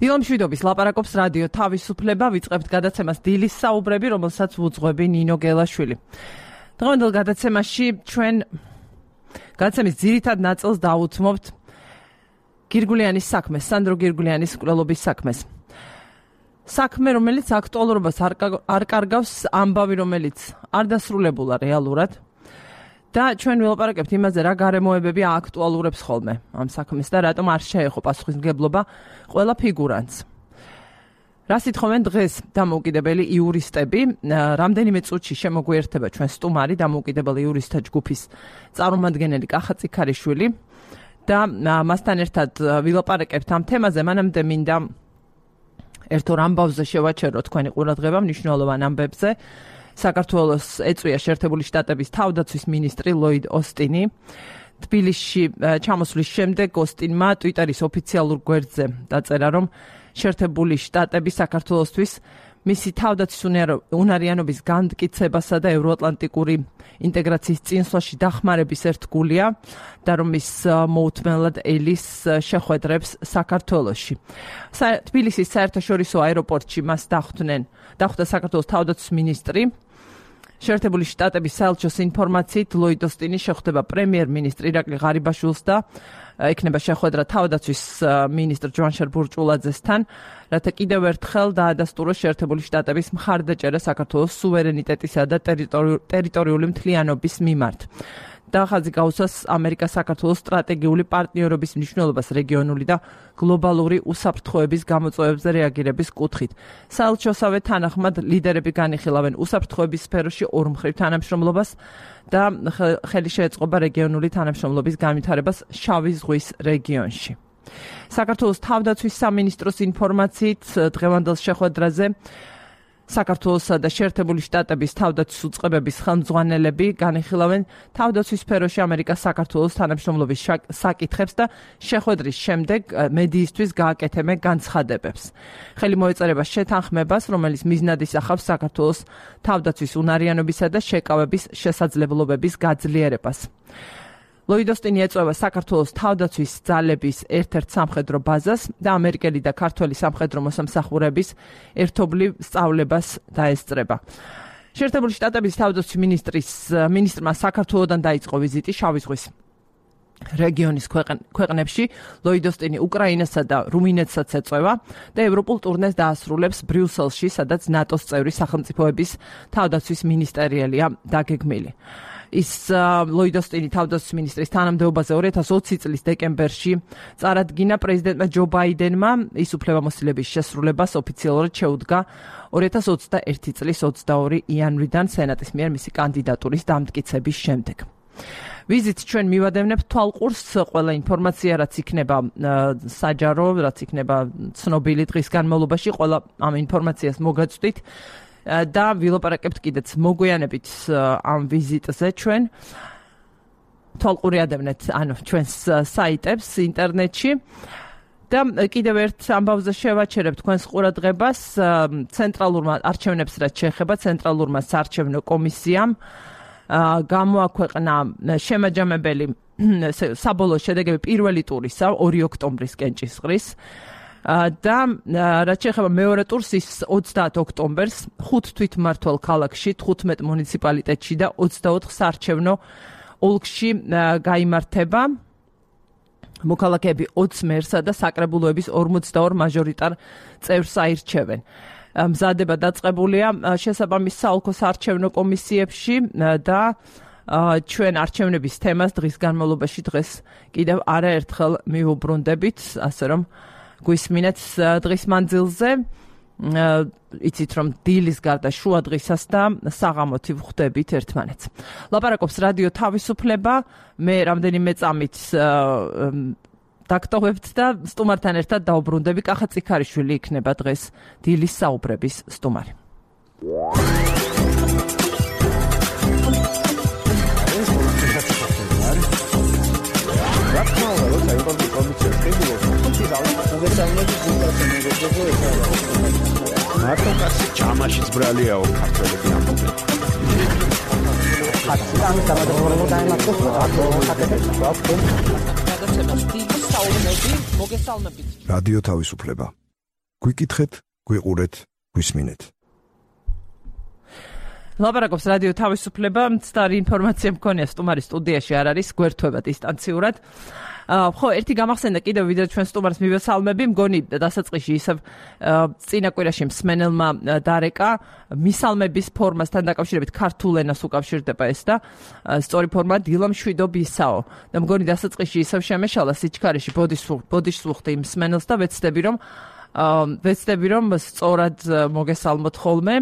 დილომშვიდობის ლაპარაკობს რადიო თავისუფლება, ვიწყებთ გადაცემას დილის საუბრები, რომელსაც ვუძღვები ნინო გელაშვილი. დღევანდელ გადაცემაში ჩვენ გადაცემის ძირითად ნაწილს დავუთმობთ გირგულიანის საქმეს, სანდრო გირგულიანის მკვლელობის საქმეს. საქმე, რომელიც აქტუალურობას არ კარგავს, ამბავი, რომელიც არ დასრულებულა რეალურად. და ჩვენ ვილაპარაკებთ იმაზე, რა გარემოებები აქტუალურებს ხოლმე ამ საქმეს და რატომ არ შეეხო პასუხისმგებლობა ყველა ფიგურანტს. რა სიტყვენ დღეს დამოუკიდებელი იურისტები, რამდენიმე წუთში შემოგვიერთება ჩვენ სტუმარი დამოუკიდებელი იურისტთა ჯგუფის წარმომადგენელი კახა წიქარიშვილი და მასთან ერთად ვილაპარაკებთ ამ თემაზე, მანამდე მინდა ერთ ორ ამბავზე შევაჩერო თქვენი ყურადღება მნიშვნელოვან ამბებზე. საქართველოს ეწვია შეერთებული შტატების თავდაცვის მინისტრი ლოიდ ოსტინი. თბილისში ჩამოსვლის შემდეგ ოსტინმა ტვიტერის ოფიციალურ გვერდზე დაწერა, რომ შეერთებული შტატები საქართველოსთვის მისი თავდაცვის უნარიანობის განმტკიცებასა და ევროატლანტიკური ინტეგრაციის წინსვლაში დახმარების ერთგულია და რომ ის მოუთმენლად ელის შეხვედრებს საქართველოში. თბილისის საერთაშორისო აეროპორტში მას დახვდა საქართველოს თავდაცვის მინისტრი. შეერთებული შტატების საელჩოს ინფორმაციით ლოიდ ოსტინი შეხვდება პრემიერ-მინისტრ ირაკლი ღარიბაშვილს და ექნება შეხვედრა თავდაცვის მინისტრ ჯვანშარ ბურჭულაძესთან, რათა კიდევ ერთხელ დაადასტუროს შეერთებული შტატების მხარდაჭერა საქართველოს სუვერენიტეტისა და ტერიტორიული მთლიანობის მიმართ. და ხაზი გაუსვას ამერიკა-საქართველოს სტრატეგიული პარტნიორობის მნიშვნელობას რეგიონული და გლობალური უსაფრთხოების გამოწვევებზე რეაგირების კუთხით. საელჩოსავე თანახმად ლიდერები განიხილავენ უსაფრთხოების სფეროში ორმხრივ თანამშრომლობას და ხელი შეეწყობა რეგიონული თანამშრომლობის განვითარებას შავი ზღვის რეგიონში. საქართველოს თავდაცვის სამინისტროს ინფორმაციით დღევანდელ შეხვედრაზე საქართველოსა და შეერთებული შტატების თავდაცვის უწყებების ხელმძღვანელები განიხილავენ თავდაცვის სფეროში ამერიკა-საქართველოს თანამშრომლობის საკითხებს და შეხვედრის შემდეგ მედიისთვის გააკეთებენ განცხადებებს. ხელი მოეწერება შეთანხმებას, რომელიც მიზნად ისახავს საქართველოს თავდაცვის უნარიანობისა და შეკავების შესაძლებლობების გაძლიერებას. ლოიდ ოსტინი ეწევა საქართველოს თავდაცვის ძალების ერთ-ერთ სამხედრო ბაზას და ამერიკელი და ქართველი სამხედრო მოსამსახურების ერთობლივ სწავლებას დაესწრება. შეერთებული შტატების თავდაცვის მინისტრმა საქართველოდან დაიწყო ვიზიტი შავი ზღვის რეგიონის ქვეყნებში. ლოიდ ოსტინი უკრაინასა და რუმინეთსაც ეწევა და ევროპულ ტურნეს დაასრულებს ბრიუსელში, სადაც ნატოს წევრი სახელმწიფოების თავდაცვის მინისტერიალია დაგეგმილი. ის ლოიდ ოსტინი თავდაცვის მინისტრის თანამდებობაზე 2020 წლის დეკემბერში წარადგინა პრეზიდენტმა ჯო ბაიდენმა, ის უფლებამოსილების შესრულებას ოფიციალურად შეუდგა 2021 წლის 22 იანვრიდან სენატის მიერ მისი კანდიდატურის დამტკიცების შემდეგ. ვიზიტს ჩვენ მივადევნებთ თვალყურს ყველა ინფორმაცია, რაც იქნება საჯარო, რაც იქნება ცნობილი დღის განმავლობაში, ყველა ამ ინფორმაციას მოგაწვდით. და ვილაპარაკებთ კიდეც მოგვიანებით ამ ვიზიტზე ჩვენ თვალყური ადევნეთ ჩვენს საიტებს ინტერნეტში და კიდევ ერთ ამბავზე შევაჩერებ თქვენს ყურადღებას ცენტრალურმა არჩევნებს რაც შეეხება ცენტრალურმა საარჩევნო კომისიამ გამოაქვეყნა შემაჯამებელი საბოლოო შედეგები პირველი ტურისა 2 ოქტომბრისკენ ჭისყრის და რაც შეეხება მეორე ტურს ის 30 ოქტომბერს 5 თვითმმართველ ქალაქში, 15 მუნიციპალიტეტში და 24 საარჩევნო ოლქში გაიმართება. მოქალაქეები 20 მერსა და საკრებულოების 42 მაჟორიტარ წევრს აირჩევენ. მზადება დაწყებულია შესაბამის საოლქო საარჩევნო კომისიებში და ჩვენ არჩევნების თემას დღის განმავლობაში დღეს კიდევ არაერთხელ მივუბრუნდებით, ასე რომ გვისმინეთ დღის მანძილზე, იცით რომ დილის გარდა შუა დღისას და საღამოთი ვხვდებით ერთმანეთს. ლაპარაკობს რადიო თავისუფლება, მე რამდენიმე წამით დაგტოვებთ და სტუმართან ერთად დაუბრუნდები. კახა წიქარიშვილი იქნება დღეს დილის საუბრების სტუმარი. მარტო კაცი ჩამაშიც ბრალიაო ქართველები ამბობენ. მოგესალმებით. რადიო თავისუფლება. გვიკითხეთ, გვიყურეთ, გვისმინეთ. ლაპარაკობს რადიო თავისუფლება, მცდარი ინფორმაცია მქონია სტუმარის სტუდიაში არ არის, გვერდთვება დისტანციურად. ხო, ერთი გამახსენდა კიდევ ვიდრე ჩვენ სტუმარს მივესალმები, მგონი დასაწყისში ისევ წინა კვირაში მსმენელმა დარეკა მისალმების ფორმასთან დაკავშირებით ქართულ ენას უკავშირდება ეს და სწორი ფორმა დილამშვიდობისაო. და მგონი დასაწყისში ისევ შემეშალა სიჩქარეში ბოდიშს ვუხდი იმ მსმენელს და ვეცდები რომ სწორად მოგესალმოთ ხოლმე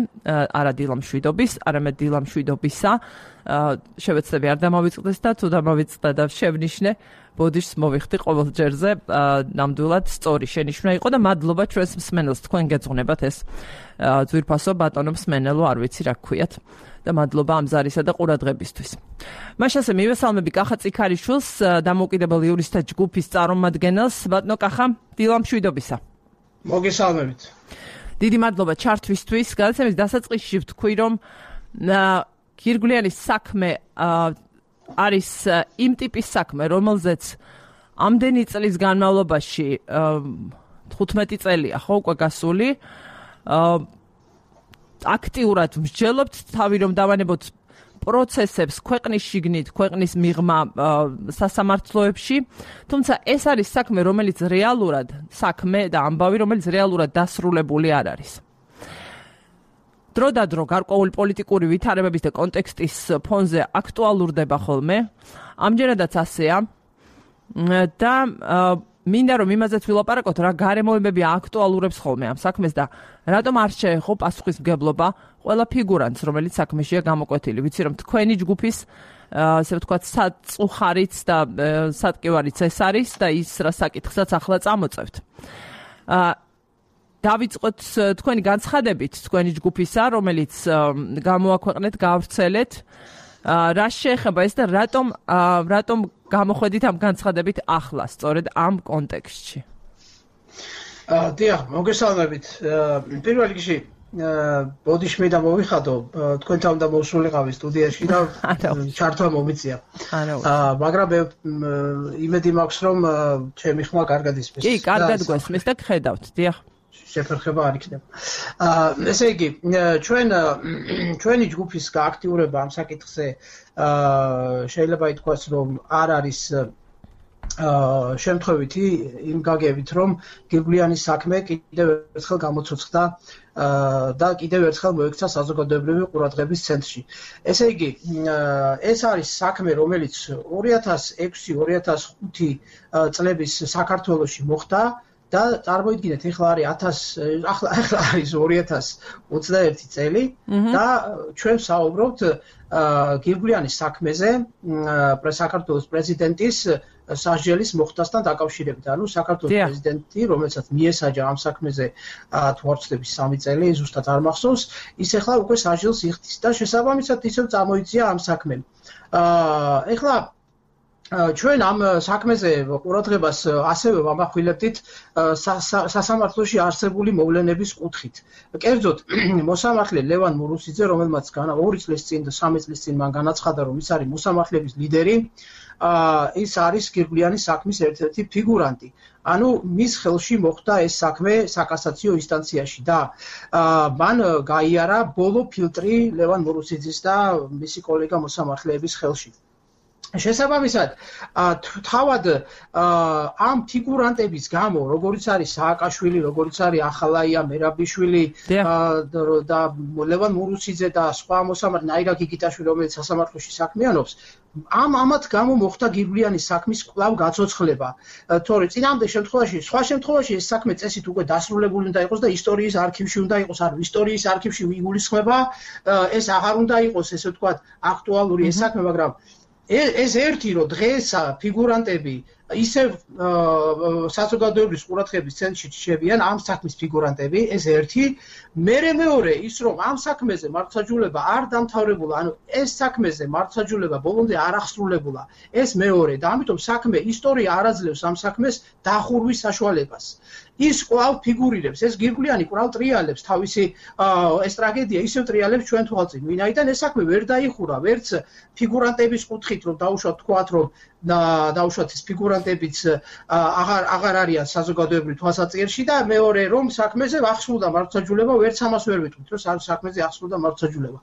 არა დილამშვიდობის, არამედ დილამშვიდობისა. შევეცდები არ დამავიწყდეს და თუ დამავიწყდა და შევნიშნე ბოდიშს მოვიხდი ყოველ ჯერზე ნამდვილად სწორი შენიშვნა იყო და მადლობა ჩვენს მსმენელს, თქვენ გეძღვნებათ ეს ძვირფასო ბატონო მსმენელო, არ ვიცი რა გქვიათ და მადლობა ამ ზარისა და ყურადღებისთვის. მაშასე მივესალმები კახა წიქარიშვილს, დამოუკიდებელ იურისტთა ჯგუფის წარმომადგენელს. ბატონო კახა, დილამშვიდობისა. მოგესალმებით. დიდი მადლობა ჩართვისთვის. გადაცემის დასაწყისში ვთქვი, რომ გირგვლიანის საქმე არის იმ ტიპის საქმე, რომელზეც ამდენი წლის განმავლობაში 15 წელია ხო უკვე გასული. აქტიურად მსჯელობთ თავი რომ დავანებოთ პროცესებს ქვეყნის შიგნით, ქვეყნის მიღმა სასამართლოებში, თუმცა ეს არის საქმე, რომელიც რეალურად საქმე და ამბავი, რომელიც რეალურად დასრულებული არ არის. დრო და დრო გარკვეული პოლიტიკური ვითარებების და კონტექსტის ფონზე აქტუალურდება ხოლმე. ამჯერადაც ასეა და მინდა რომ იმაზეც ვილაპარაკოთ, რა გარემოებები აქტუალურებს ხოლმე ამ საქმეს და რატომ არ შეეხო პასუხისმგებლობა ყველა ფიგურანტს, რომელიც საქმეშია გამოკვეთილი. ვიცი რომ თქვენი ჯგუფის ასე ვთქვათ საწუხარიც და სატკივარიც ეს არის და ის რა საკითხსაც ახლა წამოწევთ. დავიწყოთ თქვენი განცხადებით, თქვენი ჯგუფისა, რომელიც გამოაქვეყნეთ, გავრცელეთ. რა შეეხება ეს და რატომ გამოხედით ამ განცხადებით ახლა, სწორედ ამ კონტექსტში? დიახ, მოგესალმებით. პირველ რიგში ბოდიში და მოვიხადო, თქვენთან და მოსულიყავი სტუდიაში და ჩართვა მომიწია. მაგრამ იმედი მაქვს რომ ჩემი ხმა კარგად ისმის. კი, კარგად გვესმის და გხედავთ, დიახ. შეფერხება არ იქნება. ესე იგი, ჩვენი ჯგუფის გააქტიურება ამ საკითხზე შეიძლება ითქვას, რომ არ არის შემთხვევითი იმ გაგებით, რომ გირგვლიანის საქმე კიდევ ერთხელ გამოცოცხლდა და კიდევ ერთხელ მოექცა საზოგადოებრივი ყურადღების ცენტრში. ესე იგი, ეს არის საქმე, რომელიც 2006-2005 წლების საქართველოში მოხდა და წარმოიდგინეთ, ახლა არის 2021 წელი და ჩვენ საუბრობთ გირგვლიანის საქმეზე საქართველოს პრეზიდენტის სასჯელის მოხდასთან დაკავშირებით. ანუ საქართველოს პრეზიდენტი, რომელსაც მიესაჯა ამ საქმეზე თუ არ ვცდები 3 წელი, ზუსტად არ მახსოვს, ის ახლა უკვე სასჯელს იხდის და შესაბამისად ისევ წამოიწია ამ საქმემ. ახლა ჩვენ ამ საქმეზე ყურადღებას ასევე ვამახვილებდით სასამართლოში არსებული მოვლენების კუთხით. კერძოდ, მოსამართლე ლევან მურუსიძე, რომელმაც 2 წლის წინ და 3 წლის წინ მან განაცხადა, რომ ის არის მოსამართლეების ლიდერი, ის არის გირგვლიანის საქმის ერთ-ერთი ფიგურანტი. ანუ მის ხელში მოხდა ეს საქმე საკასაციო ინსტანციაში და მან გაიარა ბოლო ფილტრი ლევან მურუსიძის და მისი კოლეგა მოსამართლეების ხელში. შესაბამისად, თავად ამ ფიგურანტების გამო, როგორც არის სააკაშვილი, როგორც არის ახალაია მერაბიშვილი და ლევან მურუსიძე და სხვა მოსამართლე ნაირა გიგიტაშვილი, რომელიც სასამართლოში საქმიანობს, ამათ გამო მოხდა გირგვლიანის საქმის კვლავ გაცოცხლება. თორე წინამდე შემთხვევაში, სხვა შემთხვევაში ეს საქმე წესით უკვე დასრულებული უნდა იყოს და ისტორიის არქივში უნდა იყოს, ანუ ისტორიის არქივში იგულისხმება, ეს აღარ უნდა იყოს, ესე ვთქვათ, აქტუალური ეს საქმე, მაგრამ ეს ერთი რომ დღეს ფიგურანტები ისევ საზოგადოებრივი ყურადღების ცენტრში რჩებიან ამ საქმის ფიგურანტები, ეს ერთი. მეორე ის რომ ამ საქმეზე მართლმსაჯულება არ დამთავრებულა, ანუ ეს საქმეზე მართლმსაჯულება ბოლომდე არ აღსრულებულა, ეს მეორე და ამიტომ საქმე ისტორია არ აძლევს ამ საქმეს დახურვის საშუალებას. ის კვლავ ფიგურირებს, ეს გირგვლიანი კვლავ ტრიალებს თავისი ეს ტრაგედია ისევ ტრიალებს ჩვენ თვალწინ. ვინაიდან ეს საქმე ვერ დაიხურა, ვერც ფიგურანტების კუთხით რომ დაუშვათ თქვათ რომ დაუშვათ ეს ფიგურანტებიც აღარ არიან საზოგადოებრივ თვალსაჩინში და მეორე რომ საქმეზე აღსრულდა მართლმსაჯულება, ვერც ამას ვერ ვიტყვით, რომ საქმეზე აღსრულდა მართლმსაჯულება.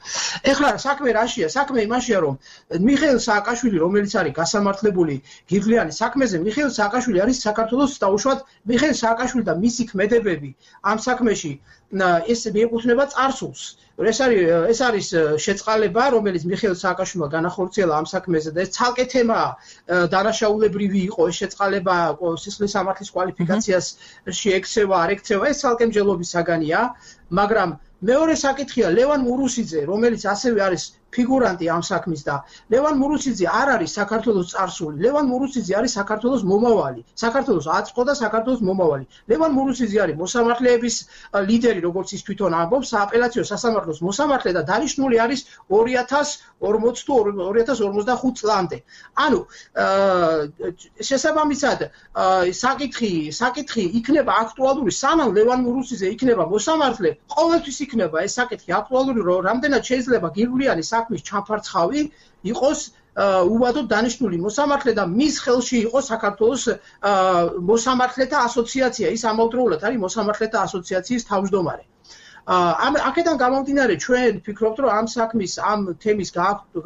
ეხლა საქმე რაშია? საქმე იმაშია, რომ მიხეილ სააკაშვილი, რომელიც არის გასამართლებული გირგვლიანი საქმეზე, მიხეილ სააკაშვილი არის საქართველოს დაუშვათ მიხეილ სააკაშვილი და მისი ქმედებები ამ საქმეში ეს მიეკუთვნება წარსულს. ეს არის შეწყალება, რომელიც მიხეილ სააკაშვილმა განახორციელა ამ საქმეზე და ეს ცალკე თემაა. დანაშაულებრივი იყო ეს შეწყალება სისხლის სამართლის კვალიფიკაციას შეექცევა, არ ექცევა, ეს ცალკე მსჯელობის საგანია, მაგრამ მეორე საკითხია ლევან მურუსიძე, რომელიც ასევე არის ფიგურანტი ამ საქმის და ლევან მურუსიძე არ არის საქართველოს წარსული. ლევან მურუსიძე არის საქართველოს მომავალი. საქართველოს აწყო და საქართველოს მომავალი. ლევან მურუსიძე არის მოსამართლეების ლიდერი, როგორც ის თვითონ ამბობს, სააპელაციო სასამართლოს მოსამართლე და დანიშნული არის 2045 წლამდე. ანუ შესაბამისად საკითხი იქნება აქტუალური, სანამ ლევან მურუსიძე იქნება მოსამართლე, ყოველთვის იქნება ეს საკითხი აქტუალური, რომ რამდენად შეიძლება გირგვლიანი საქმის ჩაფარცხავი იყოს უბადოდ დანიშნული მოსამართლე და მის ხელში იყოს საქართველოს მოსამართლეთა ასოციაცია, ის ამავდროულად არის მოსამართლეთა ასოციაციის თავმჯდომარე. აქედან გამომდინარე ჩვენ ვფიქრობთ, რომ ამ საქმის, ამ თემის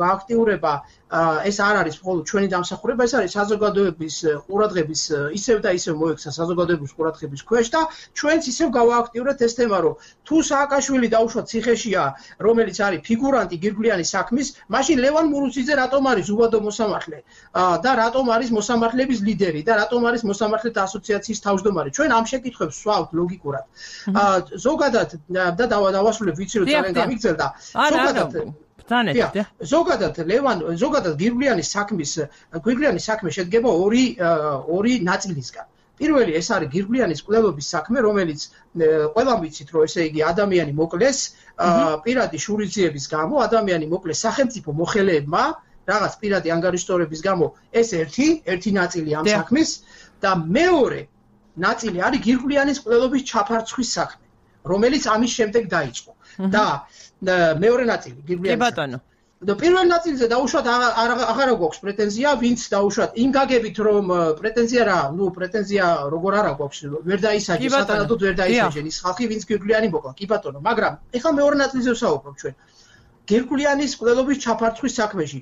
გააქტიურება ეს არ არის მხოლოდ ჩვენი დამსახურება, ეს არის საზოგადოების ყურადღების ისევ და ისევ მოექცა საზოგადოების ყურადღების ქვეშ და ჩვენც ისევ გავააქტიურეთ ეს თემა, რომ თუ სააკაშვილი დაუშვათ ციხეშია, რომელიც არის ფიგურანტი გირგვლიანი საქმის, მაშინ ლევან მურუსიძე რატომ არის უბადო მოსამართლე და რატომ არის მოსამართლეების ლიდერი და რატომ არის მოსამართლეთა ასოციაციის თავმჯდომარე? ჩვენ ამ შეკითხვებს ვსვავთ ლოგიკურად. ზოგადად და დავასრულებ, ვიცი რომ ძალიან გამიგრძელდა. ზოგადად გირგვლიანი საქმე შედგება ორი ნაწილისგან. პირველი ეს არის გირგვლიანის კვლევების საქმე, რომელიც ყველამ ვიცით, რომ ესე იგი ადამიანი მოკლეს პირადი შურისძიების გამო, ადამიანი მოკლეს სახელმწიფო მოხელეებმა, რაღაც პირადი ანგარიშტორების გამო, ეს ერთი ნაწილი ამ საქმის და მეორე ნაწილი არის გირგვლიანის კვლევების ჩაფარცხვის საქმე, რომელიც ამის შემდეგ დაიწყო. და მეორე ნაწილი გირგვლიანი. კი ბატონო. და პირველ ნაწილზე დაუშვათ აღარ გვაქვს პრეტენზია, ვინც დაუშვათ იმ გაგებით რომ პრეტენზია რა, პრეტენზია როგორ არ გვაქვს, ვერ დაისაჯე, სათანადოდ ვერ დაისაჯე ის ხალხი, ვინც გირგვლიანი მოკლა. კი ბატონო, მაგრამ ეხლა მეორე ნაწილზე ვსაუბრობ ჩვენ. გირგვლიანის კვლევების ჩაფარცხვის საქმეში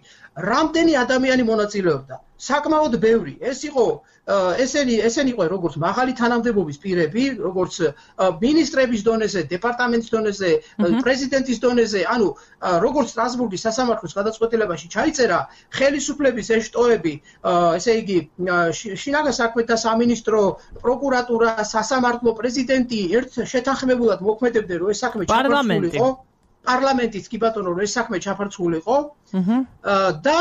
რამდენი ადამიანი მონაწილეობდა? საკმაოდ ბევრი. ეს იყო ესენი იყო როგორც მაღალი თანამდებობის პირები, როგორც მინისტრების დონეზე, დეპარტამენტის დონეზე, პრეზიდენტის დონეზე, ანუ როგორც სტრასბურგის სასამართლოს გადაწყვეტილებაში ჩაიწერა, ხელისუფლების ეშტოები, ესე იგი შინაგან საქმეთა სამინისტრო, პროკურატურა, სასამართლო, პრეზიდენტი ერთ შეთანხმებულად მოქმედებდნენ, რომ ეს საქმე ჩაფარცხულიყო. პარლამენტიც კი ბატონო, რომ ეს საქმე ჩაფარცხულიყო და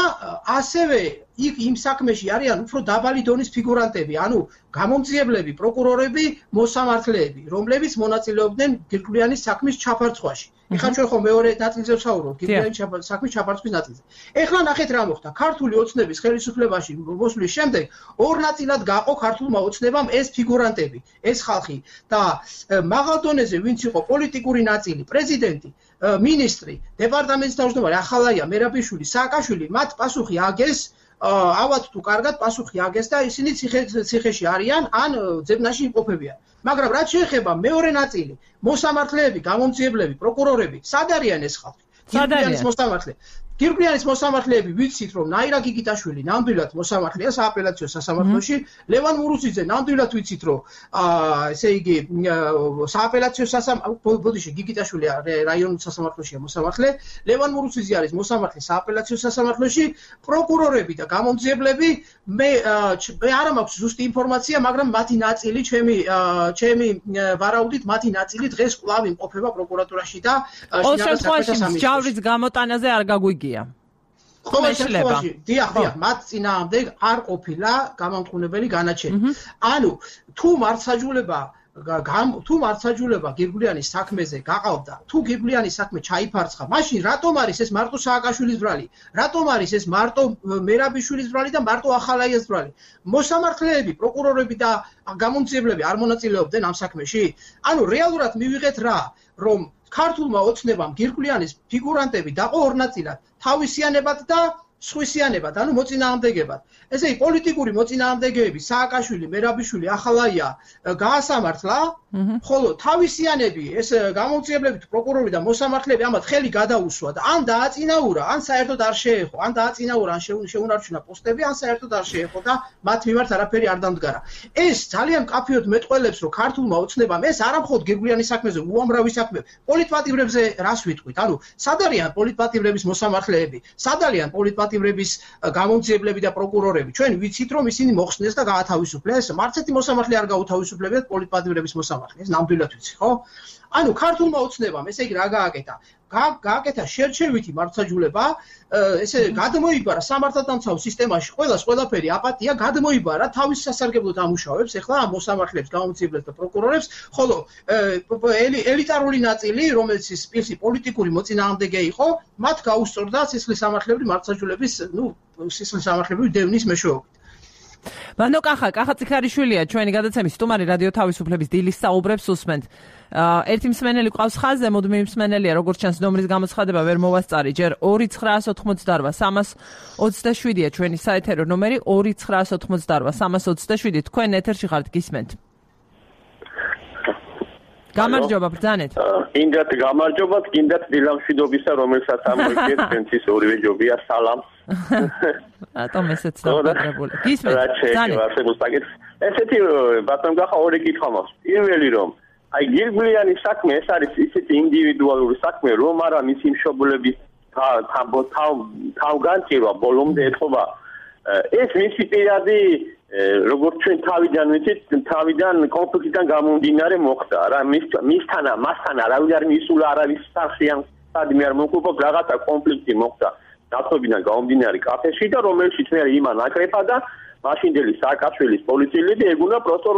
ასევე იმ საქმეში არიან უფრო დაბალი დონის ფიგურანტები, ანუ გამომძიებლები, პროკურორები, მოსამართლეები, რომლებიც მონაწილეობდნენ გირგვლიანის საქმის ჩაფარცხვაში. ეხლა ჩვენ ხო მეორე ნაწილზე ვსაუბრობთ, გირგვლიანის საქმის ჩაფარცხვის ნაწილზე. ეხლა ნახეთ რა მოხდა. ქართული ოცნების ხელისუფლებაში მოსვლის შემდეგ ორ ნაწილად გაყო ქართულმა ოცნებამ ეს ფიგურანტები, ეს ხალხი და მაღალ დონეზე ვინც იყო პოლიტიკური ნაწილი, პრეზიდენტი, მინისტრი, დეპარტამენტის თავმჯდომარე ახალაია მერაბიშვილი, სააკაშვილი, მათ პასუხი აგეს ავად თუ კარგად პასუხი აგეს და ისინი ციხეში არიან ან ძებნაში იმყოფებიან. მაგრამ რაც შეეხება მეორე ნაწილი, მოსამართლეები, გამომძიებლები, პროკურორები, სად არიან ეს ხალხი? გირგვლიანის მოსამართლე. გირგვლიანის მოსამართლეები ვიცით რომ ნაირა გიგიტაშვილი ნამდვილად მოსამართლეა სააპელაციო სასამართლოში, ლევან მურუსიძე ნამდვილად ვიცით რომ ესე იგი სააპელაციო ბოდიში გიგიტაშვილი რაიონულ სასამართლოშია მოსამართლე, ლევან მურუსიძე არის მოსამართლე სააპელაციო სასამართლოში, პროკურორები და გამომძიებლები მე არ მაქვს ზუსტი ინფორმაცია, მაგრამ მათი ნაწილი ჩემი ვარაუდით მათი ნაწილი დღეს კვლავ იმყოფება პროკურატურაში და შინაგან საქმეთა სამინისტროში. ჯავრის გამოტანაზე არ გაგვიგია. ყოველ შემთხვევაში, დიახ, მათ წინააღმდეგ არ ყოფილა გამამტყუნებელი განაჩენი. ანუ თუ მართლმსაჯულება თუ მართლმსაჯულება გირგვლიანის საქმეზე გაყავდა, თუ გირგვლიანის საქმე ჩაიფარცხა, მაშინ რატომ არის ეს მარტო სააკაშვილის ბრალი? რატომ არის ეს მარტო მერაბიშვილის ბრალი და მარტო ახალაიას ბრალი? მოსამართლეები, პროკურორები და გამომძიებლები არ მონაწილეობდნენ ამ საქმეში? ანუ რეალურად მივიღეთ რა, რომ ქართულმა ოცნებამ გირგვლიანის ფიგურანტები დაყო ორ ნაწილად, თავისიანებად და სხვისიანებად, ანუ მოწინააღმდეგებად. ესე იგი პოლიტიკური მოწინააღმდეგეები, სააკაშვილი, მერაბიშვილი, ახალაია გაასამართლა, ხოლო თავისიანები, ეს გამომძიებლები, პროკურორი და მოსამართლეები ამათ ხელი გადაუსვა და ან დააწინაურა, ან საერთოდ არ შეეხო, ან დააწინაურა, ან შეუნარჩუნა პოსტები, ან საერთოდ არ შეეხო და მათ მიმართ არაფერი არ დამდგარა. ეს ძალიან მკაფიოდ მეტყველებს, რომ ქართულმა ოცნებამ ეს არა მხოლოდ გირგვლიანის საქმეზე, უამრავი საქმე, პოლიტპატიმრებზე რას ვიტყვით? ანუ სად არიან პოლიტპატიმრების მოსამართლეები? სად არიან პოლიტპატიმრების გამომძიებლები და პროკურორები? ჩვენ ვიცით, რომ ისინი მოხსნეს და გაათავისუფლეს, მარცეთი მოსამართლე არ გაუთავისუფლებიათ პოლიტპატიმრების მოსამართლეს, ნამდვილად ვიცი, ხო? ანუ ქართულმა ოცნებამ, ესე იგი რა გააკეთა? გააკეთა შერჩევითი მართლმსაჯულება, ესე გადმოიბარა სამართალდამცავ სისტემაში ყველაფერი აპატია, გადმოიბარა თავის სასარგებლოდ ამუშავებს, ეხლა ამ მოსამართლეებს, გამომძიებლებს და პროკურორებს, ხოლო ელიტარული ნაწილი, რომელიც ის პოლიტიკური მოწინააღმდეგე იყო, მათ გაუსწორდა სისხლის სამართლებრივი მართლმსაჯულების, სისხლის სამართლებრივი დევნის მეშვეობით. ბანო კახა ციხარიშვილია ჩვენი გადაცემის სტუმარი რადიო თავისუფლების დილის საუბრებს უსმენთ. ერთი მსმენელი ყავს ხაზზე, მუდმივი მსმენელია, როგორც ჩანს ნომრის გამოცხადება ვერ მოვასწარი, ჯერ 2988-327-ია ჩვენი საეთერო ნომერი 2988-327. თქვენ ეთერში ხართ, გისმენთ. გამარჯობა, ბრძანეთ. კიდათ გამარჯობა, კიდათ დილამშვიდობისა, რომელსაც ამოიგეთ, ჩვენთვის ორივე ჯობია, სალამ. რატომ ესეც დაგვაგებული? გისმენთ. ესეთი ბატონ გახა ორი კითხვა მაქვს. პირველი რომ აი გირგვლიანის საქმე ეს არის ისეთი ინდივიდუალური საქმე, რომ არა მისი მშობლების თავგანწირვა ბოლომდე ეთყობა. ეს მისი პირადი როგორც ჩვენ თავიდან კონფლიქტიდან გამომდინარე მოხდა რა, მასთან არავინ არ მისულა, არავის სახში ან სადმე არ მოკუპა, რაღაცა კონფლიქტი მოხდა დათმობიდან გამომდინარე კაფეში და რომელშიც მე იმან აკრეფა და მაშინდელი სააკაშვილის პოლიციელები ეგუნა პროსტო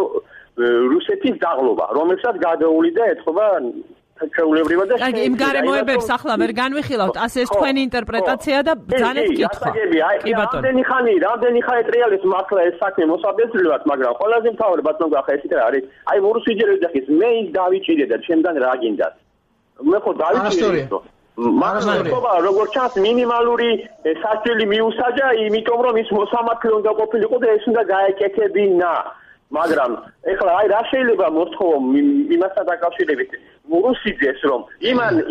რუსეთის დაღლობა, რომელსაც გადაუვლიდა ეთყობა ჩვეულებრივად და აი იმ გარემოებებს ახლა ვერ განვიხილავთ, ასე ეს თქვენი ინტერპრეტაცია და ბრძანეთ კითხვა. კი ბატონო. რამდენი ხანი ტრიალებს მართლა ეს საქმე მოსაბეზრებლად, მაგრამ ყველაზე მთავარი ბატონ გახა ესეთ არის. აი მორუსიჯერ ვიძახის, მე ის დავიჭირე და ჩემგან რა გინდათ. მე ხო დავიჭირე. მაგრამ როგორც ჩანს მინიმალური სასჯელი მიუსაჯა, იმიტომ რომ ის მოსამართლე უნდა ყოფილიყო და ეს უნდა გაეკეთებინა. მაგრამ ეხლა აი რა შეიძლება მოსთხოვო იმასთან დაკავშირებით რუსიძეს რომ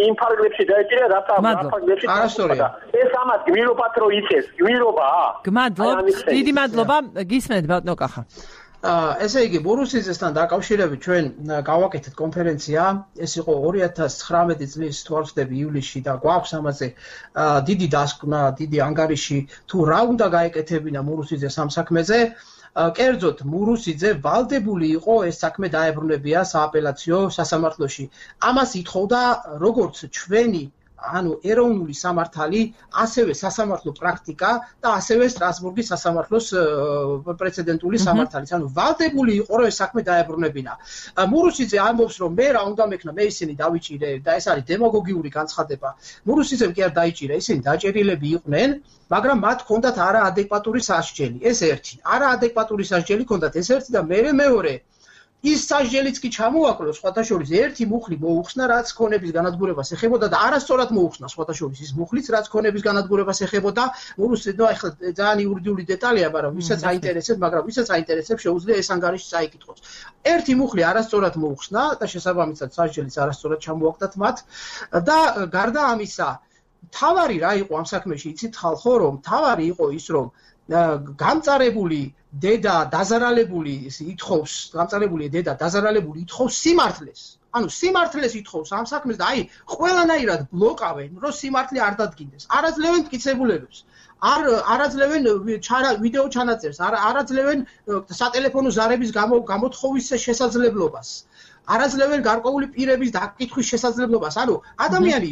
იმ ფარგლებში დაეჭირა რათა ფარგლებში არასწორია ეს ამას გმირობათ რომ იცეს გმირობაა გმადლობთ დიდი მადლობა გისმენთ ბატონო კახა ესე იგი რუსიძესთან დაკავშირებით ჩვენ გავაკეთეთ კონფერენცია ეს იყო 2019 წლის თუ არ ვცდები ივლისში და გვაქვს ამაზე დიდი დასკვნა დიდი ანგარიში თუ რა უნდა გაეკეთებინა რუსიძეს ამ საქმეზე კერძოდ მურუსიძე ვალდებული იყო ეს საქმე დაებრუნებია სააპელაციო სასამართლოში. ამას ითხოვდა როგორც ჩვენი ანუ ეროვნული სამართალი, ასევე სასამართლო პრაქტიკა და ასევე სტრასბურგის სასამართლოს პრეცედენტული სამართალიც. ანუ ვალდებული იყო რომ ეს საქმე დაებრუნებინა. მურუსიძე ამბობს რომ მე რა უნდა მექნა, მე ისინი დავიჭირე და ეს არის დემაგოგიური განცხადება. მურუსიძემ კი არ დაიჭირა, ისინი დაჭერილები იყვნენ. მაგრამ მათ ჰქონდათ არაადეკვატური სასჯელი. ეს ერთი. არაადეკვატური სასჯელი ჰქონდათ ეს ერთი და მეორე. ის სასჯელიც კი ჩამოაკლო სხვათა შორის ერთი მუხლი მოუხსნა რაც ქონების განადგურებას ეხებოდა და არასწორად მოუხსნა სხვათა შორის ის მუხლიც რაც ქონების განადგურებას ეხებოდა. ნუ ახლა ძალიან იურიდიული დეტალია, მაგრამ ვისაც აინტერესებს, შეუძლია ეს ანგარიში წაიკითხოს. ერთი მუხლი არასწორად მოუხსნა და შესაბამისად სასჯელიც არასწორად ჩამოაკლდათ მათ და გარდა ამისა თავარი რა იყო ამ საქმეში იცით ხალხო რომ თავარი იყო ის რომ გამწარებული დედა დაზარალებული ითხოვს სიმართლეს. ანუ სიმართლეს ითხოვს ამ საქმეს და აი ყველანაირად ბლოკავენ რომ სიმართლე არ დადგინდეს. არაძლევენ მტკიცებულებებს. არაძლევენ ვიდეო ჩანაწერს, არაძლევენ სატელეფონო ზარების გამოთხოვის შესაძლებლობას. არაძლევენ გარკვეული პირების დაკითხვის შესაძლებლობას. ანუ ადამიანი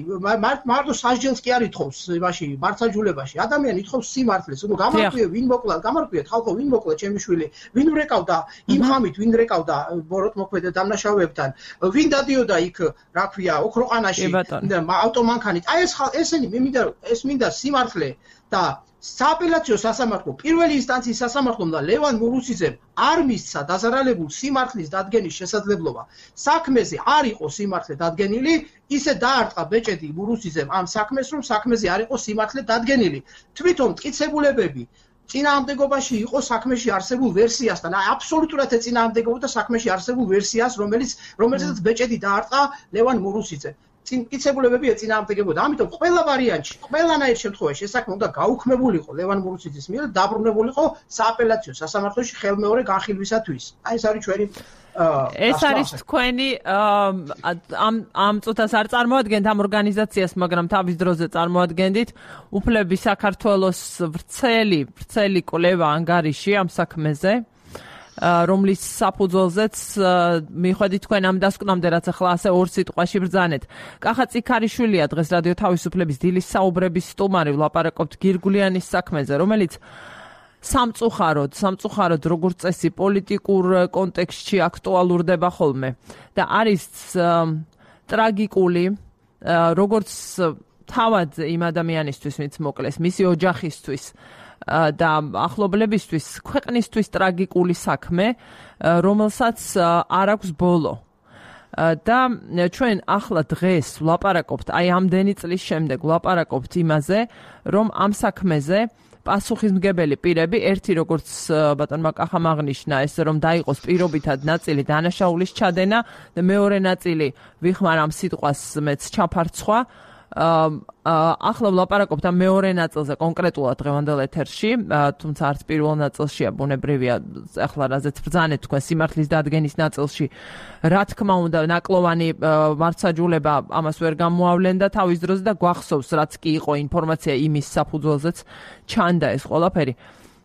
მარტო სასჯელს კი არ ითხოვს იმაში მარცხაჯულებაში. ადამიანი ითხოვს სიმართლეს. ანუ გამარკვიე ვინ მოკლა, გამარკვიეთ ხალხო ვინ მოკლა ჩემი შვილი, ვინ ვრეკავდა იმ ხამით, ვინ რეკავდა ბოროტმოქმედა დამნაშავეებთან, ვინ დადიოდა იქ, რა ქვია, ოქროყანაში ავტომანქანით. აი ესენი მინდა სიმართლე და სააპელაციო სასამართლო პირველი ინსტანციის სასამართლომ და ლევან მურუსიძემ არ მისცა დაზარალებულ სიმართლის დადგენის შესაძლებლობა. საქმეზე არ იყო სიმართლე დადგენილი, ისე დაარტყა ბეჭედი მურუსიძემ ამ საქმეს, რომ საქმეზე არ იყო სიმართლე დადგენილი. თვითონ მტკიცებულებები წინააღმდეგობაში იყო საქმეში არსებულ ვერსიასთან. აი აბსოლუტურად ეწინააღმდეგებოდა საქმეში არსებულ ვერსიას, რომელზეც ბეჭედი დაარტყა ლევან მურუსიძემ. მტკიცებულებები ეწინააღმდეგებოდა. ამიტომ ყველა ვარიანტში, ყველანაირ შემთხვევაში ეს საქმე უნდა გაუქმებულიყო ლევან მურუსიძის მიერ და დაბრუნებულიყო სააპელაციო სასამართლოში ხელმეორე განხილვისათვის. აი ეს არის ჩვენი ეს არის თქვენი ამ წუთას არ წარმოადგენთ ამ ორგანიზაციას, მაგრამ თავის დროზე წარმოადგენდით უფლები საქართველოს ვრცელი კვლევა ანგარიში ამ საქმეზე, რომლის საფუძველზეც მიხვედით თქვენ ამ დასკვნამდე, რაც ახლა ასე ორ სიტყვაში ბრძანეთ. კახა წიქარიშვილია დღეს რადიო თავისუფლების დილის საუბრების სტუმარი, ვლაპარაკობთ გირგულიანის საქმეზე, რომელიც სამწუხაროდ როგორც წესი პოლიტიკურ კონტექსტში აქტუალურდება ხოლმე და არის ტრაგიკული როგორც თავად იმ ადამიანისთვის, ვინც მოკლეს, მისი ოჯახისთვის და ახლობლებისთვის, ქვეყნისთვის ტრაგიკული საქმე, რომელსაც არ აქვს ბოლო. და ჩვენ ახლა დღეს ვლაპარაკობთ, აი ამდენი წლის შემდეგ ვლაპარაკობთ იმაზე, რომ ამ საქმეზე პასუხისმგებელი პირები, ერთი როგორც ბატონმა კახამ აღნიშნა, ეს რომ დაიყოს პირობითად ნაწილი დანაშაულის ჩადენა და მეორე ნაწილი ვიხმარ ამ სიტყვას მეც ჩაფარცხვა. ახლა ვლაპარაკობთ ამ მეორე ნაწილზე კონკრეტულად დღევანდელ ეთერში, თუმცა არც პირველ ნაწილშია, ბუნებრივია, ახლა რაზეც ბრძანეთ თქვენ სიმართლის დადგენის ნაწილში, რა თქმა უნდა, ნაკლოვანი მარცხაჯულება ამას ვერ გამოავლენდა თავის დროზე და გვახსოვს, რაც კი იყო ინფორმაცია იმის საფუძველზეც ჩანდა ეს ყველაფერი.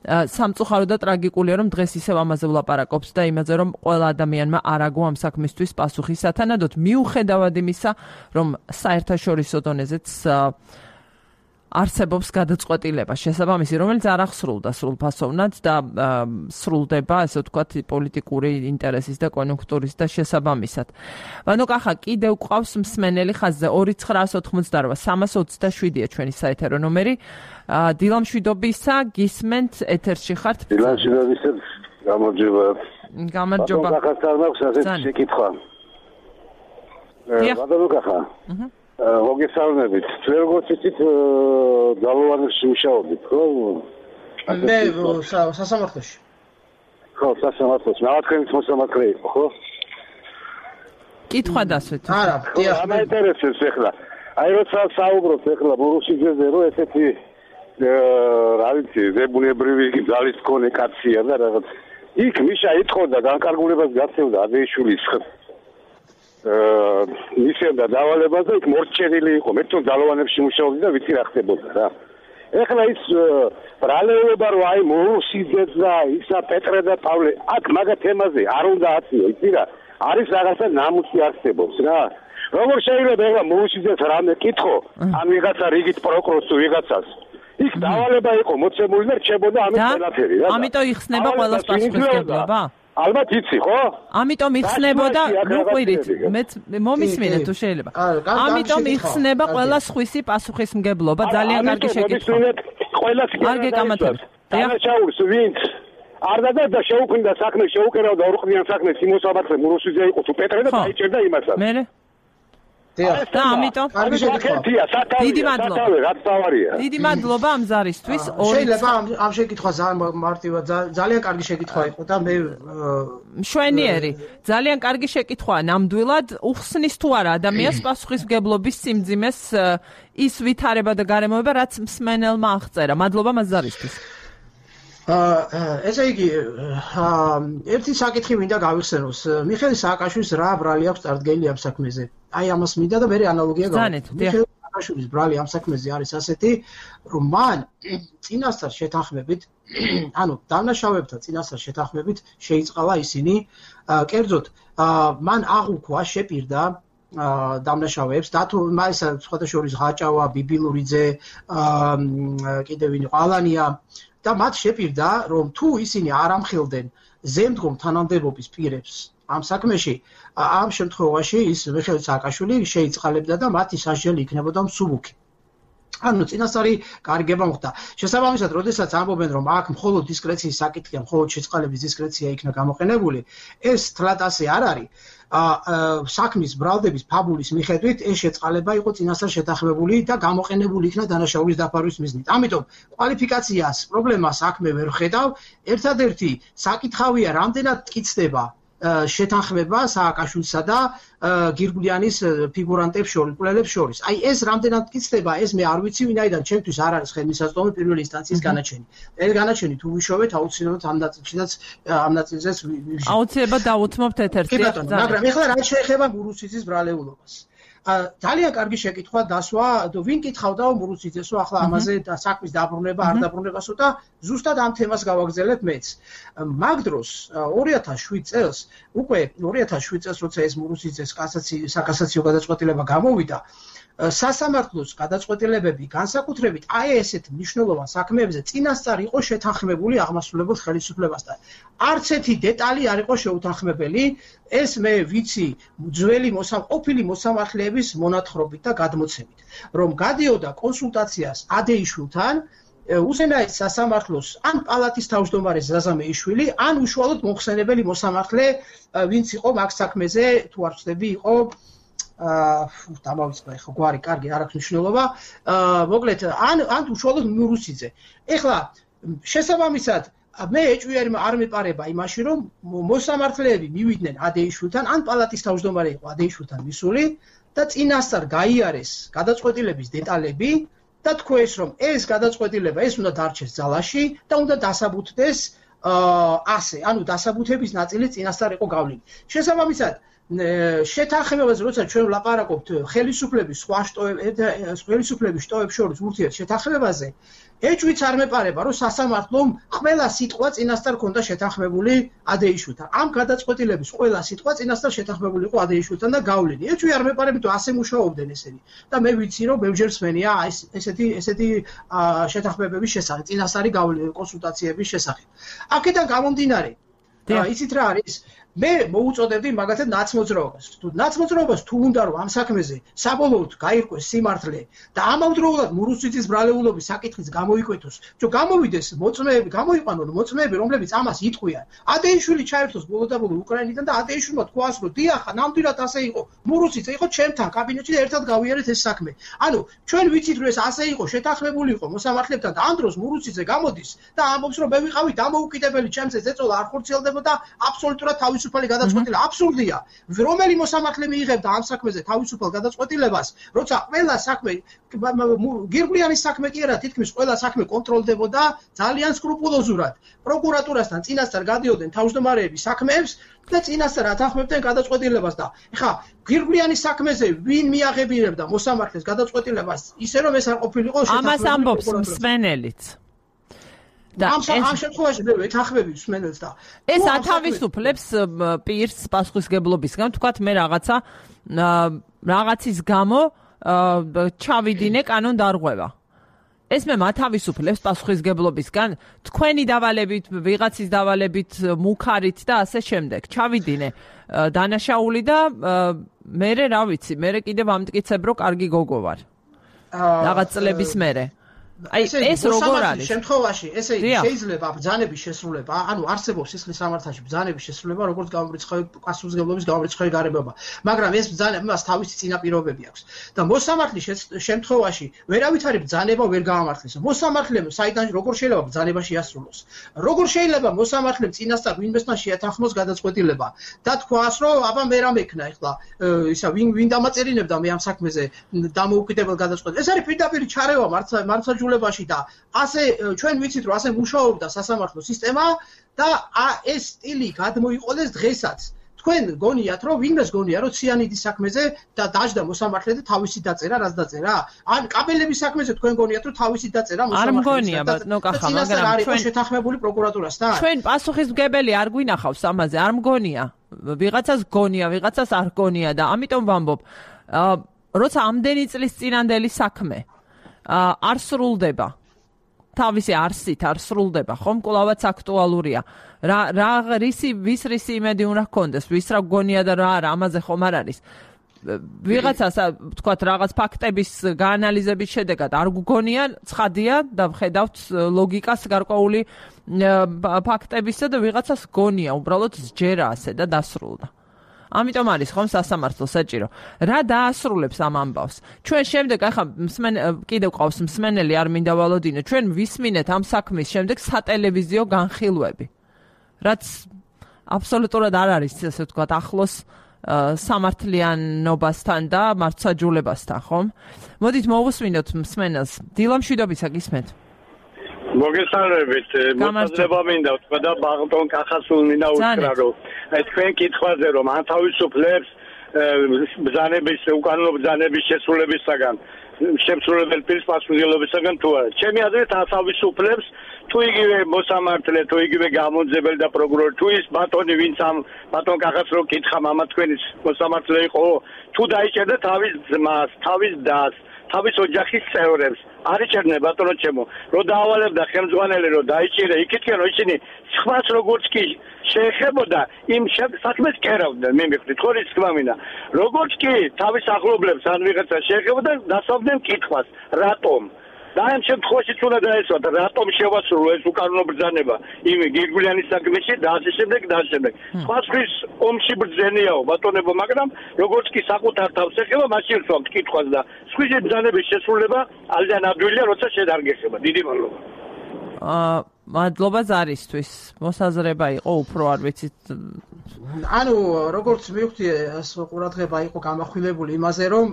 სამწუხარო და ტრაგიკულია, რომ დღეს ისევ ამაზე ვლაპარაკობთ და იმაზე, რომ ყველა ადამიანმა არ აგო ამ საქმისთვის პასუხი სათანადოდ, მიუხედავად იმისა, რომ საერთაშორისო დონეზეც არსებობს გადაწყვეტილება შესაბამისი, რომელიც არ ახსრულდა სრულფასოვნად და სრულდება, ასე ვთქვათ, პოლიტიკური ინტერესის და კონიუნქტურის და შესაბამისად. ბანო კახა, კიდევ გვყავს მსმენელი ხაზზე 2988 327-ია ჩვენი საეთერო ნომერი. დილამშვიდობისა, გისმენთ, ეთერში ხართ. დილამშვიდობისა, გამარჯობა. გამარჯობა. ბატონო კახა, სარნაქვს ასეთი შეკითხვა. ბატონო კახა. მოგესალმებით. ჩვენ როგორც იცით, ძალოვანებში მუშაობთ, ხო? მე სასამართლოში. ხო, სასამართლოში. მათქენიც მოსამართლე იყო, ხო? კითხვა დასვეთ. არა, დიახ. ამაინტერესებს ახლა. აი როცა საუბრობთ ახლა მურუსიძეზე, რომ ესეთი რა ვიცი, ზებუნებრივი ძალის მქონე კაცია და რაღაც. იქ მიშა იტყოდა განკარგულებას გაცევდა აბეიშვილის მისცემდა დავალებას და იქ მორჩენილი იყო. მე თვითონ ძალოვანებში მუშაობდი და ვიცი რა ხდებოდა რა. ეხლა ის ბრალეულობა რომ აი მურუსიძე და ისა პეტრე და პავლე აქ მაგა თემაზე არ უნდა აწიო, იცი რა. არის რაღაცა ნამუსი არსებობს რა. როგორ შეიძლება ეხლა მურუსიძეს რამე კითხო, ამ ვიღაცა რიგით პროკურორს თუ ვიღაცას. იქ დავალება იყო მოცემული და რჩებოდა ამის ყველაფერი რა. ამიტომ იხსნება ყველას პასუხისმგებლობა? ალბათ იცი, ხო? ამიტომ იხსნებოდა, ნუ ყვირით, მეც მომისმინეთ თუ შეიძლება. ამიტომ იხსნება ყველა სხვისი პასუხისმგებლობა, ძალიან კარგი შეკითხვა. ყველას არ გეკამათებთ. დანაშაულს ვინც არ და შეუქმნიდა საქმე, შეუკერავდა ორყდიან საქმეს იმოსამართლე მურუსიძე იყო თუ პეტრე და დაიჭერდა იმასაც. მერე? და ამიტომ დიდი მადლობა. რაც თავარია. დიდი მადლობა ამ ზარისთვის. შეიძლება ამ შეკითხვა მარტივად ძალიან კარგი შეკითხვა იყო და მე მშვენიერი. ძალიან კარგი შეკითხვაა ნამდვილად. უხსნის თუ არა ადამიანს პასუხისმგებლობის სიმძიმეს ის ვითარება და გარემოება, რაც მსმენელმა აღწერა. მადლობა ამ ზარისთვის. ესე იგი, ერთი საკითხი მინდა გავიხსენოს. მიხეილ სააკაშვილის რა ბრალი აქვს წარდგენილი ამ საქმეზე. აი ამას მინდა და მე ანალოგია გავიგებ. სააკაშვილის ბრალი ამ საქმეზე არის ასეთი, რომ მან წინასწარ შეთანხმებით, ანუ დამნაშავეებთან წინასწარ შეთანხმებით შეიწყალა ისინი, კერძოდ მან აღუქვა, შეპირდა დამნაშავეებს და თუ მაისა სხვათა შორის ღაჭავა, ბიბილურიძე, კიდევ ვინ იყო ალანია და მათ შეპირდა, რომ თუ ისინი არ ამხილდნენ ზემდგომ თანამდებობის პირებს ამ საქმეში, ამ შემთხვევაში ის მიხეილ სააკაშვილი შეიწყალებდა და მათი სასჯელი იქნებოდა მსუბუქი. ანუ წინასწარი გარიგება მოხდა. შესაბამისად, როდესაც ამბობენ, რომ აქ მხოლოდ დისკრეციის საკითხია, მხოლოდ შეწყალების დისკრეცია იქნა გამოყენებული, ეს თლად ასე არ არის. საქმის ბრალდების ფაბულის მიხედვით ეს შეწყალება იყო წინასწარ შეთანხმებული და გამოყენებული იქნა დანაშაულის დაფარვის მიზნით. ამიტომ კვალიფიკაციას, პრობლემას საქმე ვერ ხედავ. ერთადერთი საკითხავია, რამდენად მტკიცდება შეთანხმება სააკაშვილსა და გირგვლიანის ფიგურანტებს შორის, მკვლელებს შორის. აი ეს რამდენად მტკიცდება, ეს მე არ ვიცი, ვინაიდან ჩემთვის არ არის ხელმისაწვდომი პირველი ინსტანციის განაჩენი. ეს განაჩენი თუ ვიშოვეთ, აუცილებლად ამ ნაწილშიც აუცილებლად დავუთმობთ ერთ-ერთი. მაგრამ ეხლა რა შეეხება მურუსიძის ბრალეულობას. ძალიან კარგი შეკითხვა დასვა, ვინ კითხავდა მურუსიძესო ახლა ამაზე და საქმის დაბრუნება, არ დაბრუნებასო და ზუსტად ამ თემას გავაგზავნებ მეც. მაგ დროს 2007 წელს, უკვე 2007 წელს როცა ეს მურუსიძეს საკასაციო გადაწყვეტილება გამოვიდა, სასამართლოს გადაწყვეტილებები განსაკუთრებით აი ესეთ მნიშვნელოვან საქმეებზე წინასწარ იყო შეთანხმებული აღმასრულებელ ხელისუფლებასთან. არც ერთი დეტალი არ იყო შეუთანხმებელი, ეს მე ვიცი ძველი ყოფილი მოსამართლეების მონათხრობით და გადმოცემით, რომ გადიოდა კონსულტაციას ადეიშვილთან, უზენაეს სასამართლოს ან პალატის თავმჯდომარე ზაზა მეიშვილი, ან უშუალოდ მომხსენებელი მოსამართლე, ვინც იყო მაგ საქმეზე, თუ არ ვცდები, იყო დამავიწყდა ხო გვარი კარგი არ აქვს მნიშვნელობა მოკლედ ან უშუალოდ მურუსიძე ეხლა შესაბამისად მე ეჭვი არ მეპარება იმაში რომ მოსამართლეები მივიდნენ ადეიშვილთან ან პალატის თავმჯდომარე იყო ადეიშვილთან მისული და წინასწარ გაიარეს გადაწყვეტილების დეტალები და თქვეს რომ ეს გადაწყვეტილება ეს უნდა დარჩეს ძალაში და უნდა დასაბუთდეს ასე ანუ დასაბუთების ნაწილი წინასწარ იყო გავლილი შესაბამისად შეთანხმებაზე როცა ჩვენ ვლაპარაკობთ ხელისუფლების ხელისუფლების შტოებს შორის ურთიერთშეთანხმებაზე ეჭვიც არ მეპარება რომ სასამართლომ ყველა სიტყვა წინასწარ ქონდა შეთანხმებული ადეიშვილთან ამ გადაწყვეტილების ყველა სიტყვა წინასწარ შეთანხმებული იყო ადეიშვილთან და გავლილი ეჭვი არ მეპარებით რომ ასე მუშაობდნენ ესენი და მე ვიცი რომ ბევრჯერ სმენია ესეთი შეთანხმებების შესახებ წინასწარი კონსულტაციების შესახებ აქედან გამომდინარე იცით რა არის მე მოუწოდებდი მაგათად ნაცმოძრაობას. თუ ნაცმოძრაობას თუ უნდა რომ ამ საქმეზე საბოლოოდ გაირკვეს სიმართლე და ამავდროულად მურუსიძის ბრალეულობის საკითხიც გამოიკვეთოს, რომ გამოვიდეს მოწმეები, გამოიყვანონ მოწმეები, რომლებიც ამას იტყვიან. ადეიშვილი ჩაერთოს ბოლოდაბოლო უკრაინიდან და ადეიშვილმა თქვას, რომ დიახ, ნამდვილად ასე იყო. მურუსიძე იყო ჩემთან კაბინეტში და ერთად გავიარეთ ეს საქმე. ანუ ჩვენ ვიცით რომ ეს ასე იყო, შეთანხმებული იყო მოსამართლებთან და ამ დროს მურუსიძე გამოდის და ამბობს რომ მე ვიყავი დამოუკიდებელი, ჩემზე ზეწოლა არ ხორციელდებოდა აბსოლუტურად თავისუფალი გადაწყვეტილება აბსურდია. რომელი მოსამართლე მიიღებდა ამ საქმეზე თავისუფალ გადაწყვეტილებას, როცა ყველა საქმე გირგვლიანის საქმე კი არა, თითქმის ყველა საქმე კონტროლდებოდა ძალიან სკრუპულოზურად. პროკურატურასთან წინასწარ გადიოდნენ თავმჯდომარეები საქმეებს და წინასწარ ათანხმებდნენ გადაწყვეტილებას და ეხა გირგვლიანის საქმეზე ვინ მიაღებინებდა მოსამართლეს გადაწყვეტილებას, ისე რომ ეს არ ყოფილიყო შეთანხმებული. ამას ამბობს მსმენელიც. და ამ შემთხვევაში მე ვეთანხმები მსმენელს და ეს ათავისუფლებს პირს პასუხისგებლობისგან თქვათ მე რაღაცის გამო ჩავიდინე კანონ დარღვევა ეს მე მათავისუფლებს პასუხისგებლობისგან თქვენი დავალებით ვიღაცის დავალებით მუქარით და ასე შემდეგ ჩავიდინე დანაშაული და მე რა ვიცი მე კიდევ ამტკიცებ რომ კარგი გოგო ვარ რაღაც წლების მერე აი ეს როგორ არის შემთხვევაში ესე იგი შეიძლება ბრძანების შესრულება ანუ არსებობს სისხლის სამართალში ბრძანების შესრულება როგორც გამორიცხავი პასუხისმგებლობის გამორიცხავი გარემოება მაგრამ ეს ბრძანებას თავისი წინაპირობები აქვს და მოსამართლის შემთხვევაში ვერავითარი ბრძანება ვერ გაამართლეს მოსამართლემ საიდან როგორ შეიძლება ბრძანება შეასრულოს როგორ შეიძლება მოსამართლემ წინასწარ ვინმესთან შეათანხმოს გადაწყვეტილება და თქვას რომ აბა მე რა მექნა ეხლა ისა ვინ დამაწერინებდა მე ამ საქმეზე დამოუკიდებელ გადაწყვეტილებას ეს არის პირდაპირ ჩარევა მართლმსაჯულებაში და ასე ჩვენ ვიცით რომ ასე მუშაობდა სასამართლო სისტემა და ეს სტილი გადმოიყოლეს დღესაც თქვენ გონიათ რომ ვინმეს გონია რომ ციანიდის საქმეზე და დაждდა მოსამართლე და თავისი დაწერა რაც დაწერა ან კაბელების საქმეზე თქვენ გონიათ რომ თავისი დაწერა მოსამართლე არ მგონია ბატონო კახა მაგრამ ჩვენ შეთანხმებული პროკურატურასთან ჩვენ პასუხისმგებელი არ გვინახავს ამაზე არ მგონია ვიღაცას გონია ვიღაცას არ გონია და ამიტომ ვამბობ როცა ამდენი წლის წინანდელი საქმე არ სრულდება თავისი არსით არ სრულდება ხომ კვლავაც აქტუალურია რა ვის რისი იმედი უნდა ჰქონდეს ვის რა გონია და რა არა ამაზე ხომ არ არის ვიღაცას თქვათ რაღაც ფაქტების გაანალიზების შედეგად არ გგონია ცხადია და ვხედავთ ლოგიკას გარკვეული ფაქტებისა და ვიღაცას გონია უბრალოდ სჯერა ასე და დასრულდა ამიტომ არის ხომ სასამართლო საჭირო რა დაასრულებს ამ ამბავს ჩვენ შემდეგ ახლა კიდევ ყავს მსმენელი არ მინდა ვალოდინო ჩვენ ვისმინეთ ამ საქმის შემდეგ სატელევიზიო განხილვები რაც აბსოლუტურად არ არის ასე ვთქვათ ახლოს სამართლიანობასთან და მართლმსაჯულებასთან ხომ მოდით მოვუსმინოთ მსმენელს დილა მშვიდობისა გისმენთ მოგესალმებით მოწოდება მინდა ვთქვა და ბაღტონ კახასულ მინდა უთხრა რომ თქვენ კითხვაზე რომ ანთავისუფლებს ბრძანების უკანონო ბრძანების შესრულებისაგან შემსრულებელ პირის პასუხისმგებლობისაგან თუ არა ჩემი აზრით ანთავისუფლებს თუ იგივე მოსამართლე თუ იგივე გამონძებელი და პროკურორი თუ ის ბატონი ვინც ამ ბატონ კახას რო კითხა მამა თქვენის მოსამართლე იყო თუ დაიჭერდა თავის ძმას თავის დას თავის ოჯახის წევრებს არიჭერდნენ ბატონო ჩემო რომ დაავალებდა ხელმძღვანელი რომ დაიჭირა იქითკენ რომ ისინი სხვას როგორც კი შეეხებოდა იმ საქმეს კერავდნენ მე მიხდით ხო რის თქმა მინდა როგორც კი თავის ახლობლებს ან ვიღაცა შეეხებოდა დასავდნენ კითხვას რატომ და ამ შემთხვევაში უნდა დაესვათ რატომ შევასრულო ეს უკანონო ბრძანება იმ გირგვლიანის საქმეში და ასე შემდეგ და ასე შემდეგ სხვასთვის ომში ბრძენიაო ბატონებო მაგრამ როგორც კი საკუთარ თავს ეხება მაშინ ვსვამთ კითხვას და სხვისი ბრძანების შესრულება ალდან ადვილია როცა შედარგეხება დიდი მადლობა მადლობა ზარისთვის მოსაზრება იყო უფრო არ ვიცით ანუ როგორც მივხვდი ეს ყურადღება იყო გამახვილებული იმაზე რომ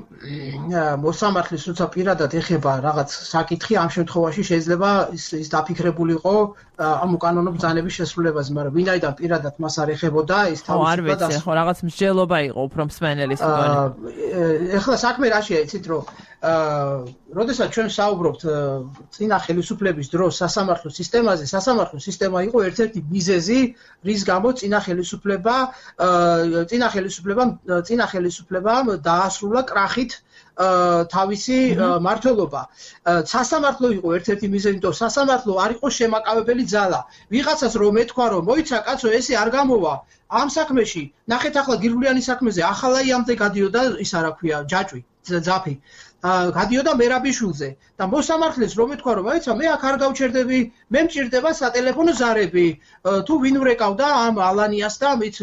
მოსამართლის როცა პირადად ეხება რაღაც საკითხი ამ შემთხვევაში შეიძლება ის დაფიქრებულიყო ამ უკანონო ბრძანების შესრულებაზე მაგრამ ვინაიდან პირადად მას არ ეხებოდა ის თავისუფლად არ ვიცი ხო რაღაც მსჯელობა იყო უფრო მსმენელის მგონი ეხლა საქმე რაშია იცით რომ როდესაც ჩვენ საუბრობთ წინა ხელისუფლების დროს სასამართლო სისტემაზე სასამართლო სისტემა იყო ერთ-ერთი მიზეზი რის გამო წინა ხელისუფლებამ დაასრულა კრახით თავისი მართლობა სასამართლო იყო ერთ-ერთი მიზეზი იმიტომ სასამართლო არ იყო შემაკავებელი ძალა ვიღაცას რომ ეთქვა რომ მოიცა კაცო ესე არ გამოვა ამ საქმეში ნახეთ ახლა გირგვლიანის საქმეზე ახალაიამდე გადიოდა ის არა ქვია ჯაჭვი ძაფი გადიოდა მერაბიშვილზე და მოსამართლეს რომ ეთქვა რომ აიცა მე აქ არ გავჩერდები მე მჭირდება სატელეფონო ზარები თუ ვინ ვრეკავდა ამ ალანიას და მით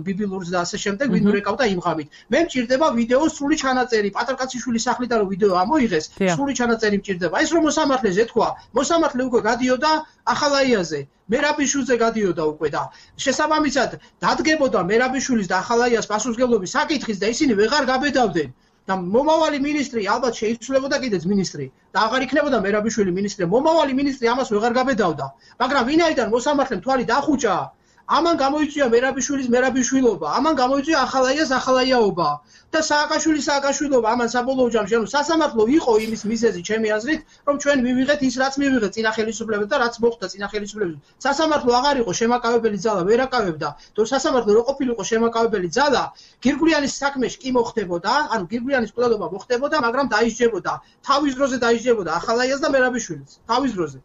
ბიბილურს და ასე შემდეგ ვინ ვრეკავდა იმ ღამით მე მჭირდება ვიდეოს სრული ჩანაწერი პატრკაციშვილის სახლიდან რომ ვიდეო ამოიღეს სრული ჩანაწერი მჭირდება ის რომ მოსამართლეს ეთქვა მოსამართლე უკვე გადიოდა ახალაიაზე მერაბიშვილზე გადიოდა უკვე და შესაბამისად დადგებოდა მერაბიშვილის და ახალაიას პასუხისმგებლობის საკითხის და ისინი ვეღარ გაბედავდნენ და მომავალი მინისტრი ალბათ შეიცვლებოდა კიდეც მინისტრი და აღარ იქნებოდა მერაბიშვილი მინისტრი მომავალი მინისტრი ამას ვეღარ გაბედავდა მაგრამ ვინაიდან მოსამართლემ თვალი დახუჭა ამან გამოიწვია მერაბიშვილის მერაბიშვილობა ამან გამოიწვია ახალაიას ახალაიაობა და სააკაშვილობა ამან საბოლოო ჯამში ანუ სასამართლო იყო იმის მიზეზი ჩემი აზრით რომ ჩვენ მივიღეთ ის რაც მივიღეთ წინა ხელისუფლებას და რაც მოხდა წინა ხელისუფლებას სასამართლო აღარ იყო შემაკავებელი ძალა ვერ აკავებდა თუ სასამართლო რო ყოფილიყო შემაკავებელი ძალა გირგვლიანის საქმეში კი მოხდებოდა ანუ გირგვლიანის კვლელობა მოხდებოდა მაგრამ დაისჯებოდა თავის დროზე დაისჯებოდა ახალაიას და მერაბიშვილს თავის დროზე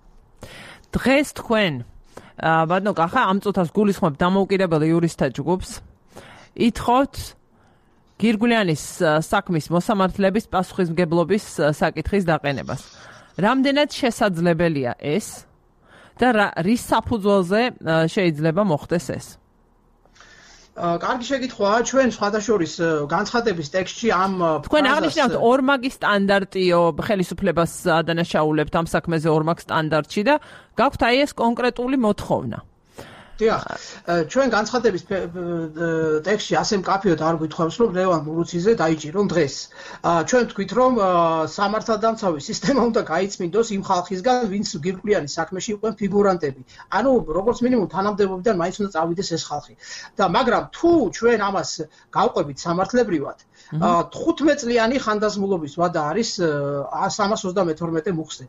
დღეს თქვენ ბატონო კახა ამ წუთას გულისხმობ დამოუკიდებელ იურისტთა ჯგუფს ითხოვთ გირგვლიანის საქმის მოსამართლეების პასუხისმგებლობის საკითხის დაყენებას რამდენად შესაძლებელია ეს და რის საფუძველზე შეიძლება მოხდეს ეს კარგი შეკითხვაა ჩვენ სხვადასხვის განცხადების ტექსტში ამ თქვენ აღნიშნავთ ორმაგი სტანდარტიო ხელისუფლებას ადანაშაულებთ ამ საქმეზე ორმაგ სტანდარტში და გაქვთ აი ეს კონკრეტული მოთხოვნა დიახ, ჩვენ განცხადების ტექსტში ასე მკაფიოდ არ გვითხოვს, რომ ლევან მურუციძე დაიჭირონ დღეს. ჩვენ ვთქვით, რომ სამართალდამცავი სისტემა უნდა გაიწმინდოს იმ ხალხისგან, ვინც გირკვლიანი საქმეში იყვნენ ფიგურანტები. ანუ როგორც მინიმუმ თანამდებობიდან მაინც უნდა წავიდეს ეს ხალხი. და მაგრამ თუ ჩვენ ამას გავყვებით სამართლებრივად, 15 წლიანი ხანდაზმულობის ვადა არის 332 მუხზე.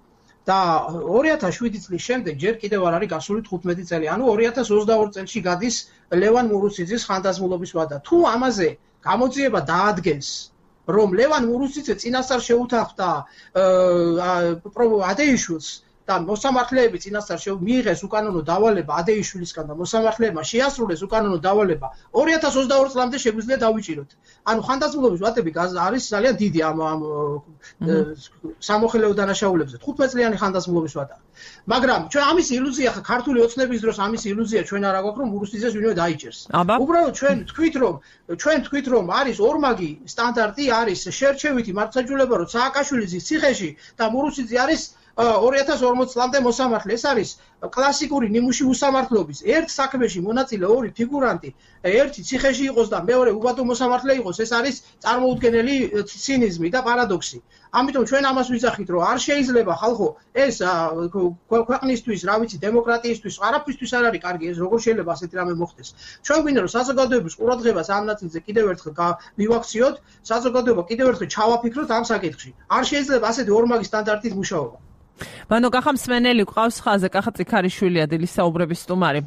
და 2007 წლის შემდეგ ჯერ კიდევ არ არის გასული 15 წელი. ანუ 2022 წელში გადის ლევან მურუციძის ხანდაზმულობის ვადა. თუ ამაზე გამოძიება დაადგენს, რომ ლევან მურუციძე წინასწარ შეუთანხმდა ადეიშვილს და მოსამართლეები წინასწარ მიიღეს უკანონო დავალება ადეიშვილისგან და მოსამართლეებმა შეასრულეს უკანონო დავალება 2022 წლამდე შეგვიძლია დავიჭიროთ. ანუ ხანდაზმულობის ვადები არის ძალიან დიდი ამ სამოხელეო დანაშაულებზე 15 წლიანი ხანდაზმულობის ვადა. მაგრამ ჩვენ ამის ილუზია ხა ქართული ოცნების დროს ამის ილუზია ჩვენ არ აგვაქვს რომ მურუციძეს ვინმე დაიჭერს. უბრალოდ ჩვენ თქვით რომ არის ორმაგი სტანდარტი არის შერჩევითი მართლმსაჯულება რომ სააკაშვილის ციხეში და მურუციძე არის 2040 წლამდე მოსამართლე. ეს არის კლასიკური ნიმუში უსამართლობის. ერთ საქმეში მონაწილე ორი ფიგურანტი, ერთი ციხეში იყოს და მეორე უბადო მოსამართლე იყოს. ეს არის წარმოუდგენელი ცინიზმი და პარადოქსი. ამიტომ ჩვენ ამას ვიძახით, რომ არ შეიძლება ხალხო ეს ქვეყნისთვის, რა ვიცი, დემოკრატიისთვის, არაფრისთვის არ არის კარგი ეს როგორ შეიძლება ასეთი რამე მოხდეს. ჩვენ გვინდა რომ საზოგადოების ყურადღებას ამ ნაწილზე კიდევ ერთხელ მივაქციოთ, საზოგადოება კიდევ ერთხელ ჩავაფიქროთ ამ საკითხში. არ შეიძლება ასეთი ორმაგი სტანდარტით მუშაობა. ბანო კახა მსმენელი ყავს ხაზე, კახა წიქარიშვილია დილის საუბრების სტუმარი.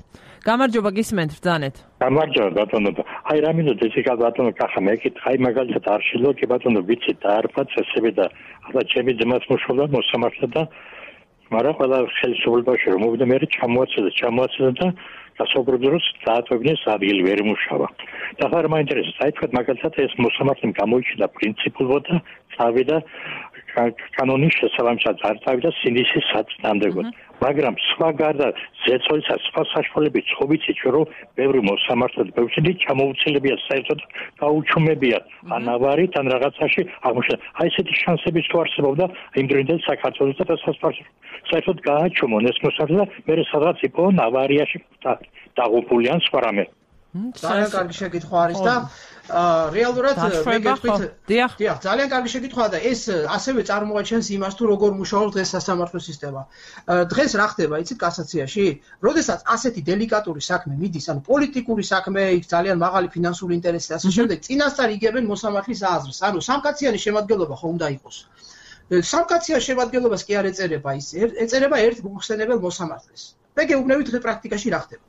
გამარჯობა, გისმენთ ბრძანეთ. გამარჯობა ბატონო. აი რამინო დეციკა ბატონო კახა მეკითხ, აი მაგალითად არ შეიძლება კი ბატონო ვიცი დაარფა წესები და ახლა ჩემი ძმაც მუშაობდა მოსამართლედ და მაგრამ ყველა ხელისუფლებაში რომ მოვიდა მე ჩამოაცილე და გასაუბრებდა რომ დაატოვებინეს ადგილი ვერ იმუშავა. და ხარ მაინტერესებს, აი თქვა მაგალითად ეს მოსამართლემ გამოიჩინა პრინციპულად და წავიდა კანონის შესაბამისად არ წავიდა სინდისის საწინააღმდეგოდ. მაგრამ სხვა გარდა ზეწოლისა სხვა საშუალებებით ხოვიცით რომ ბევრი მოსამართლე ბევრი ჩამოუცილებია საერთოდ გაუჩუმებიათ ან ავარით ან რაღაცაში აღმოჩნდა. აი ესეთი შანსების თუ არსებობდა იმ დროინდელ საქართველოს და საერთოდ გააჩუმონ ეს მოსამართლე და მე სადღაც იყო ავარიაში დაღუპული ან სხვა რამე. ძალიან კარგი შეკითხვა არის და რეალურად მე გეტყვით დიახ ძალიან კარგი შეკითხვაა და ეს ასევე წარმოაჩენს იმას თუ როგორ მუშაობს დღეს სასამართლო სისტემა. დღეს რა ხდება იცით კასაციაში? როდესაც ასეთი დელიკატური საქმე მიდის, ანუ პოლიტიკური საქმე, იქ ძალიან მაღალი ფინანსური ინტერესი და ასე შემდეგ, წინასწარ იგებენ მოსამართლის აზრს. ანუ სამკაციანი შემადგენლობა ხო უნდა იყოს. სამკაციან შემადგენლობას კი არ ეწერება ის, ეწერება ერთ მოხსენებელ მოსამართლეს. მე გეუბნებით დღე პრაქტიკაში რა ხდება.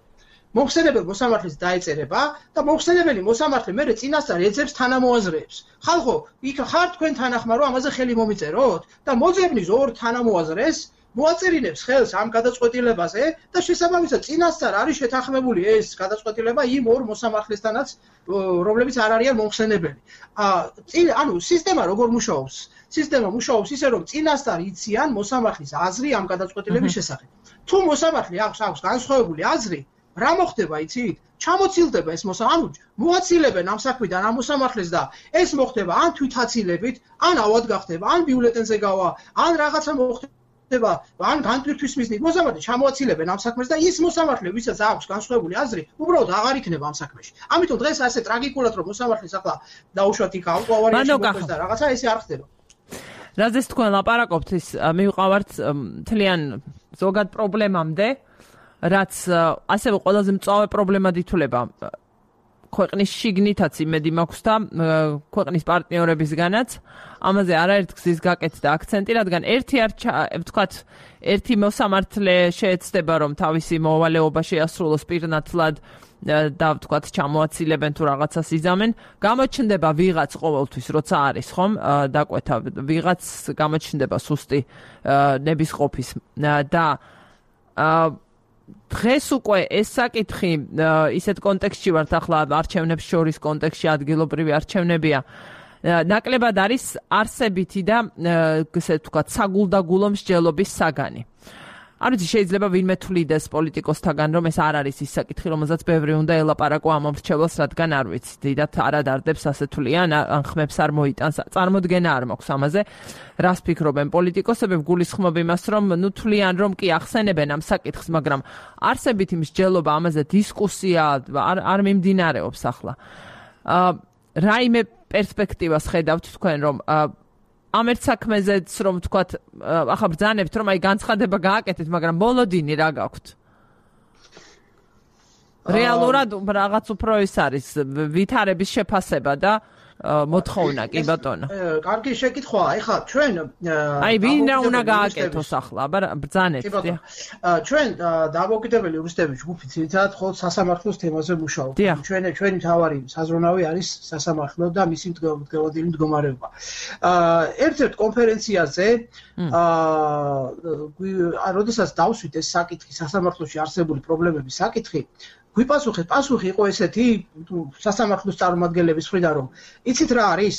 მოხსენებელ მოსამართლეს დაეწერება და მოხსენებელი მოსამართლე მერე წინასწარ ეძებს თანამოაზრეებს. ხალხო, იქ ხარ თქვენ თანახმა რომ ამაზე ხელი მომიწეროთ და მოძებნის ორ თანამოაზრეს მოაწერინებს ხელს ამ გადაწყვეტილებაზე და შესაბამისად წინასწარ არის შეთანხმებული ეს გადაწყვეტილება იმ ორ მოსამართლესთანაც, რომლებიც არ არიან მომხსენებელი. ანუ სისტემა როგორ მუშაობს? სისტემა მუშაობს ისე რომ წინასწარ იციან მოსამართლის აზრი ამ გადაწყვეტილების შესახებ. თუ მოსამართლე აქვს განსხვავებული აზრი, რა მოხდება იცით? ჩამოცილდება ეს ანუ მოაცილებენ ამ საქმიდან ამ მოსამართლეს და ეს მოხდება ან თვითაცილებით, ან ავად გახდება, ან ბიულეტენზე გავა, ან რაღაცა მოხდება, ან განტვირთვის მიზნით მოსამართლე ჩამოაცილებენ ამ საქმეს და ის მოსამართლე, ვისაც აქვს განსხვავებული აზრი, უბრალოდ აღარ იქნება ამ საქმეში. ამიტომ დღეს ასე ტრაგიკულად რომ მოსამართლეს ახლა დაუშვათ იქ ავარიაში მოხდეს და რაღაცა ესე არ ხდება. რაზეც თქვენ ლაპარაკობთ ის მივყავართ მთლიან ზოგად პრობლემამდე, რაც ასევე ყველაზე მწვავე პრობლემად ითვლება ქვეყნის შიგნითაც იმედი მაქვს და ქვეყნის პარტნიორებისგანაც. ამაზე არაერთ გზის გაკეთდა აქცენტი, რადგან ერთი მოსამართლე შეეცდება რომ თავისი მოვალეობა შეასრულოს პირნათლად და ვთქვათ ჩამოაცილებენ თუ რაღაცას იზამენ, გამოჩნდება ვიღაც ყოველთვის, როცა არის ხომ დაკვეთა ვიღაც გამოჩნდება სუსტი ნებისყოფის და დღეს უკვე ეს საკითხი ისეთ კონტექსტში ვართ ახლა არჩევნებს შორის კონტექსტში ადგილობრივი არჩევნებია ნაკლებად არის არსებითი და ესე ვთქვათ საგულდაგულო მსჯელობის საგანი. არ ვიცი შეიძლება ვინმე თვლიდეს პოლიტიკოსთაგან რომ ეს არ არის ის საკითხი რომელზეც ბევრი უნდა ელაპარაკო ამ მრჩეველს რადგან არ ვიცი დიდად არადარდებს ასე თვლიან ან ხმებს არ მოიტანს წარმოდგენა არ მაქვს ამაზე რას ფიქრობენ პოლიტიკოსები გულისხმობ იმას რომ ნუ თვლიან რომ კი ახსენებენ ამ საკითხს მაგრამ არსებითი მსჯელობა ამაზე დისკუსია არ მიმდინარეობს ახლა რაიმე პერსპექტივას ხედავთ თქვენ რომ ამ ერთ საქმეზეც რომ თქვათ ახლა ბრძანებთ რომ აი განცხადება გააკეთეთ მაგრამ ბოლოდინი რა გაქვთ რეალურად რაღაც უფრო ის არის ვითარების შეფასება და მოთხოვნა კი ბატონო კარგი შეკითხვაა ეხლა ჩვენ აი ვინ რა უნდა გააკეთოს ახლა აბა ბრძანეთ ჩვენ დამოუკიდებელი იურისტების ჯგუფი ძირითადად ხოლმე სასამართლოს თემაზე მუშაობთ ჩვენი მთავარი საზრუნავი არის სასამართლო და მისი მდგომარეობრივი მდგომარეობა ერთ-ერთ კონფერენციაზე როდესაც დავსვით ეს საკითხი სასამართლოში არსებული პრობლემების საკითხი პასუხი იყო ესეთი სასამართლოს წარმომადგენლების მხრიდან რომ იცით რა არის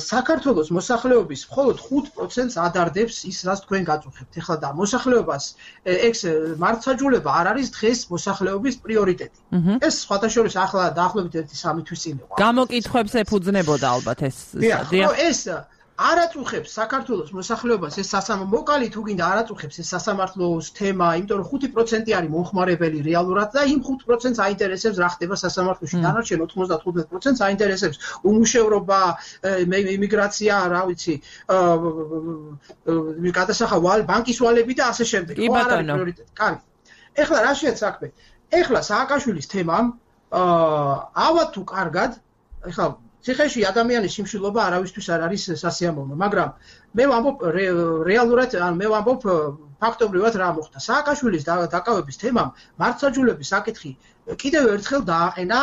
საქართველოს მოსახლეობის მხოლოდ 5%-ს ადარდებს ის რაც თქვენ გაწუხებთ ეხლა და მოსახლეობას ეს მართლმსაჯულება არ არის დღეს მოსახლეობის პრიორიტეტი ეს სხვათა შორის ახლა დაახლოებით 1-3 თვის წინ იყო გამოკითხვებს ეფუძნებოდა ალბათ ეს ეს არაწუხებს საქართველოს მოსახლეობას ეს მოკალი თუ გინდა არაწუხებს ეს სასამართლოს თემა, იმიტომ რომ 5% არის მომხმარებელი რეალურად და იმ 5%-ს აინტერესებს რა ხდება სასამართლოში. დანარჩენ 95%-ს აინტერესებს უმუშევრობა, იმიგრაცია, რა ვიცი, გადასახადი, ბანკის ვალები და ასე შემდეგ. კი ბატონო. კარგი. ეხლა რა შეეც საქმე? ეხლა სააკაშვილის თემამ ავად თუ კარგად, ეხლა ციხეში ადამიანის სიმშილობა არავისთვის არ არის სასიამოვნო, მაგრამ მე ვამბობ რეალურად, მე ვამბობ ფაქტობრივად რა მოხდა. სააკაშვილის დაკავების თემამ მართლმსაჯულების საკითხი კიდევ ერთხელ დააყენა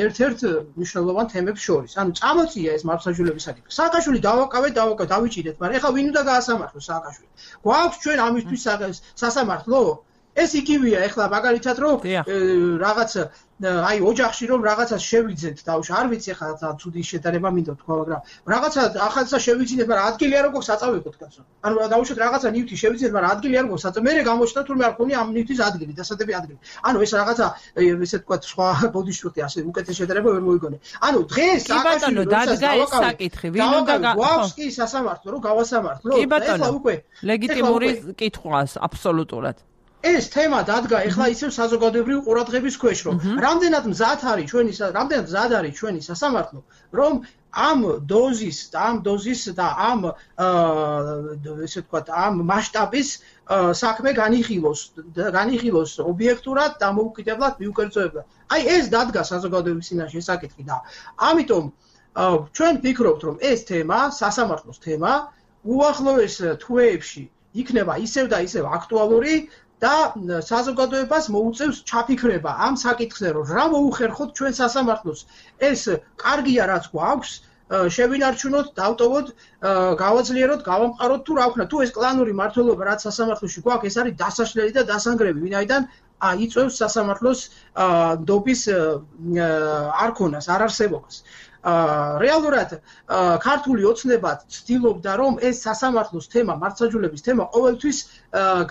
ერთ-ერთ მნიშვნელოვან თემებს შორის. ანუ წამოწია ეს მართლმსაჯულების საკითხი. სააკაშვილი დავიჭირეთ, მაგრამ ეხლა ვინ უნდა გაასამართლოს სააკაშვილი? გვაქვს ჩვენ ამისთვის სასამართლო? ეს იგივეა ეხლა მაგალითად რომ რაღაც აი ოჯახში რომ რაღაცას შევიძენთ დავშ არ ვიცი ეხლა ცუდი შედარება მინდა თქვა მაგრამ რაღაცა ახალსა შევიძინეთ მაგრამ ადგილი არ გვაქვს საწავებოდ კაცო ანუ დავუშვათ რაღაცა ნივთი შევიძინეთ მაგრამ ადგილი არ გვაქვს საწავ მე გამოჩნდა თურმე არ ხონია ამ ნივთის ადგილი დასადები ადგილი ანუ ეს რაღაცა ესე თქვა სხვა ბოდიშტი ასე უკეთეს შედარება ვერ მოიგონე ანუ დღეს ბატონო დადგა ეს საკითხი ვინ უნდა გვაქვს კი სასამართლო რომ გავასამართლო ეხლა უკვე ლეგიტიმური კითხვაა აბსოლუტურად ეს თემა დადგა ეხლა ისევ საზოგადოებრივი ყურადღების ქვეშ რომ რამდენად მზად არის ჩვენი სასამართლო რომ ამ დოზის და ამ ესე ვთქვათ ამ მასშტაბის საქმე განიხილოს ობიექტურად და მოუკიდებლად მიუკერძოებლად. აი ეს დადგა საზოგადოების წინაშე საკითხი და ამიტომ ჩვენ ვფიქრობთ რომ ეს თემა სასამართლოს თემა უახლოეს თვეებში იქნება ისევ და ისევ აქტუალური და საზოგადოებას მოუწევს ჩაფიქრება ამ საკითხზე რომ რა მოუხერხოთ ჩვენ სასამართლოს ეს კარგია რაც გვაქვს შევინარჩუნოთ დავტოვოთ გავაძლიეროთ გავამყაროთ თუ რა ვქნა თუ ეს კლანური მართლობა რაც სასამართლოში გვაქვს ეს არის დასაშლელი და დასანგრევი ვინაიდან იწევს სასამართლოს დობის არქონას არარსებობას რეალურად ქართული ოცნება ცდილობდა რომ ეს სასამართლოს თემა მართლმსაჯულების თემა ყოველთვის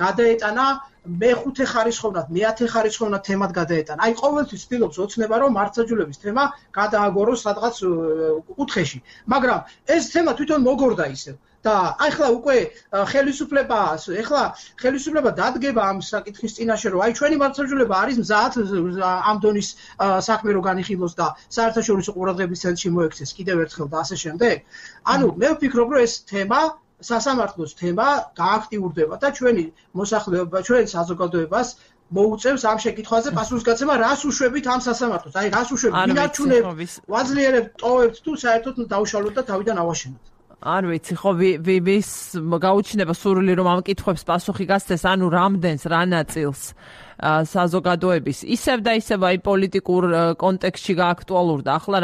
გადაეტანა მეხუთე ხარისხოვნად, მეათე ხარისხოვნად თემად გადაეტანა. აი ყოველთვის ცდილობს ოცნება რომ მართლმსაჯულების თემა გადააგოროს სადღაც კუთხეში. მაგრამ ეს თემა თვითონ მოგორდა ისევ. და ახლა უკვე ხელისუფლება დადგება ამ საკითხის წინაშე რომ აი ჩვენი მართლმსაჯულება არის მზად ამ დონის საქმე რო განიხილოს და საერთაშორისო ყურადღების ცენტრში მოექცეს კიდევ ერთხელ და ასე შემდეგ. ანუ მე ვფიქრობ რომ ეს თემა სასამართლოს თემა გააქტიურდება და ჩვენი მოსახლეობა, ჩვენ საზოგადოებას მოუწევს ამ შეკითხვაზე პასუხისგაცემა, რას უშვებით ამ სასამართლოს. აი რას უშვებით, ვინარჩუნებთ, ვაძლიერებთ, ტოვებთ თუ საერთოდ დავშალოთ და თავიდან ავაშენოთ. არ ვიცი ხო ვის გაუჩნდება სურვილი რომ ამ კითხვებს პასუხი გასცეს ანუ რამდენს რა ნაწილს საზოგადოების ისევ და ისევ აი პოლიტიკურ კონტექსტში გააქტუალურდა ახლა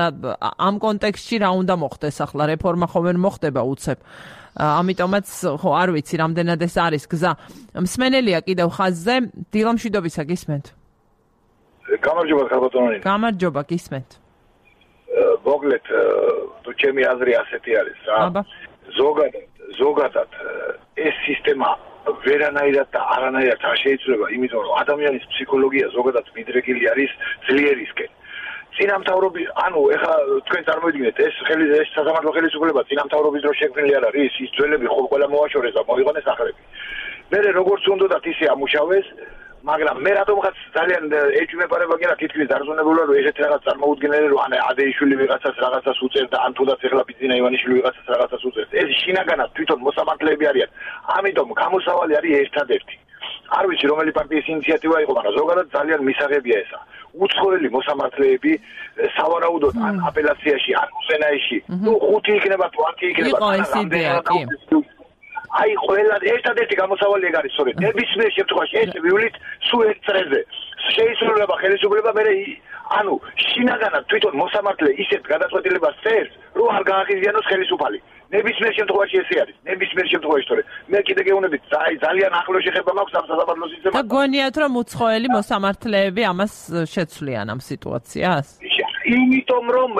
ამ კონტექსტში რა უნდა მოხდეს ახლა რეფორმა ხომ ვერ მოხდება უცებ ამიტომაც ხო არ ვიცი რამდენად ეს არის გზა მსმენელია კიდევ ხაზზე დილამშვიდობისა გისმენთ გამარჯობა ხალბატონი გამარჯობა გისმენთ მოგლეთ თუ ჩემი აზრი ასეთი არის რა ზოგადად ეს სისტემა ვერანაირად და არანაირად არ შეიძლება, იმიტომ რომ ადამიანის ფსიქოლოგია ზოგადად მიდრეკილი არის ძლიერისკენ. წინამთავრობის, ანუ ეხლა თქვენ წარმოიდგინეთ, ეს სასამართლო ხელისუფლება წინამთავრობის დროს შექმნილი არ არის, ის ძველები ყველა მოაშორეს და მოიღონეს ახრები. მე როგორც უნდათ ისე ამუშავეს, მაგრამ მე რატომღაც ძალიან ეჭვმეპარება კი რა თითქმის დარწმუნებულა რომ ესეთ რაღაც წარმოუდგენელი რომ ადეიშვილი ვიღაცას რაღაცას უწევდა ან თუნდაც ეხლა ბიძინა ივანიშვილი ვიღაცას რაღაცას უწევს ეს შინაგანად თვითონ მოსამართლეები არიან ამიტომ გამოსავალი არის ერთადერთი არ ვიცი რომელი პარტიის ინიციატივა იყო მაგრამ ზოგადად ძალიან მისაღებია ესა უცხოელი მოსამართლეები სავარაუდოდ ან აპელაციაში ან უზენაეში თუ 5 იქნება თუ 10 იქნება იყო ეს იდეა კი აი ყველა ერთადერთი გამოსავალი ეგ არის სწორედ ნებისმიერ შემთხვევაში ეს ვივლით სულ ერთ წრეზე შეიძლება ხელისუფლება მე ანუ შინაგანად თვითონ მოსამართლე ისეთ გადაწყვეტილებას წერს რომ არ გააღიზიანოს ხელისუფალი ნებისმიერ შემთხვევაში ესე არის ნებისმიერ შემთხვევაში სწორედ მე კიდე გეუბნებით ძალიან ახლო შეხება მაქვს ამ სასამართლო სისტემასთან და გონიათ რომ უცხოელი მოსამართლეები ამას შეცვლიან ამ სიტუაციას იმიტომ რომ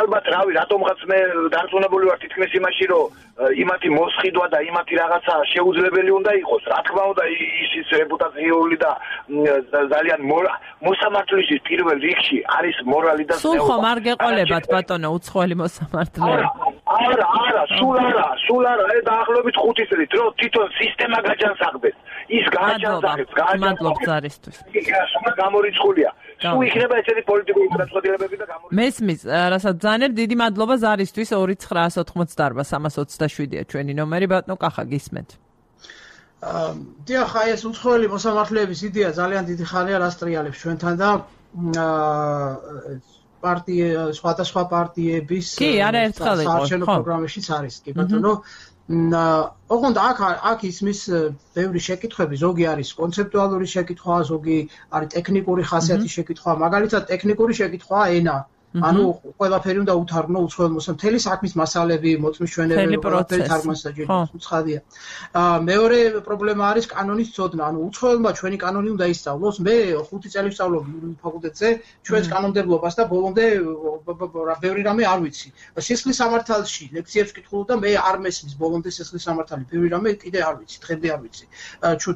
ალბათ რავი რატომღაც მე დარწმუნებული ვარ თითქმის იმაში რომ იმათი მოსყიდვა და იმათი რაღაცა შეუძლებელი უნდა იყოს რა თქმა უნდა ის რეპუტაციული და ძალიან მოსამართლეების პირველ რიგში არის მორალი და სულ ხომ არ გეყოლებათ ბატონო უცხოელი მოსამართლეები სულ არა დაახლოებით 5 წელი რომ თვითონ სისტემა გაჯანსაღდეს ის გააჯანსაღებს მადლობთ ზარისთვის სულ გამორიცხულია სულ იქნება ესეთი პოლიტიკური გადაწყვეტილებები და მესმის რასაც ძალიან დიდი მადლობა ზარისთვის 2988-327-ია ჩვენი ნომერი ბატონო კახა გისმენთ დიახ აი ეს უცხოელი მოსამართლეების იდეა ძალიან დიდი ხანია რასტრიალებს ჩვენთან და სხვადასხვა პარტიების საარჩევნო პროგრამაშიც არის კი ბატონო ოღონდ აქ ისმის ბევრი შეკითხვები ზოგი არის კონცეპტუალური შეკითხვა ზოგი არის ტექნიკური ხასიათის შეკითხვა მაგალითად ტექნიკური შეკითვა ენა ანუ ყველაფერი უნდა უთარგმნო უცხოელ მოსამართლეებს საქმის მასალები მოწმის ჩვენებები ყველაფერი თარგმანსა ჯერ უცხადია მეორე პრობლემა არის კანონის ცოდნა ანუ უცხოელმა ჩვენი კანონი უნდა ისწავლოს მე 5 წელი ვსწავლობ ფაკულტეტზე ჩვენს კანონმდებლობას და ბოლომდე ბევრი რამე არ ვიცი სისხლის სამართალში ლექციებს ვკითხულობ და მე არ მესმის ბოლომდე სისხლის სამართალი ბევრი რამე კიდე არ ვიცი დღემდე არ ვიცი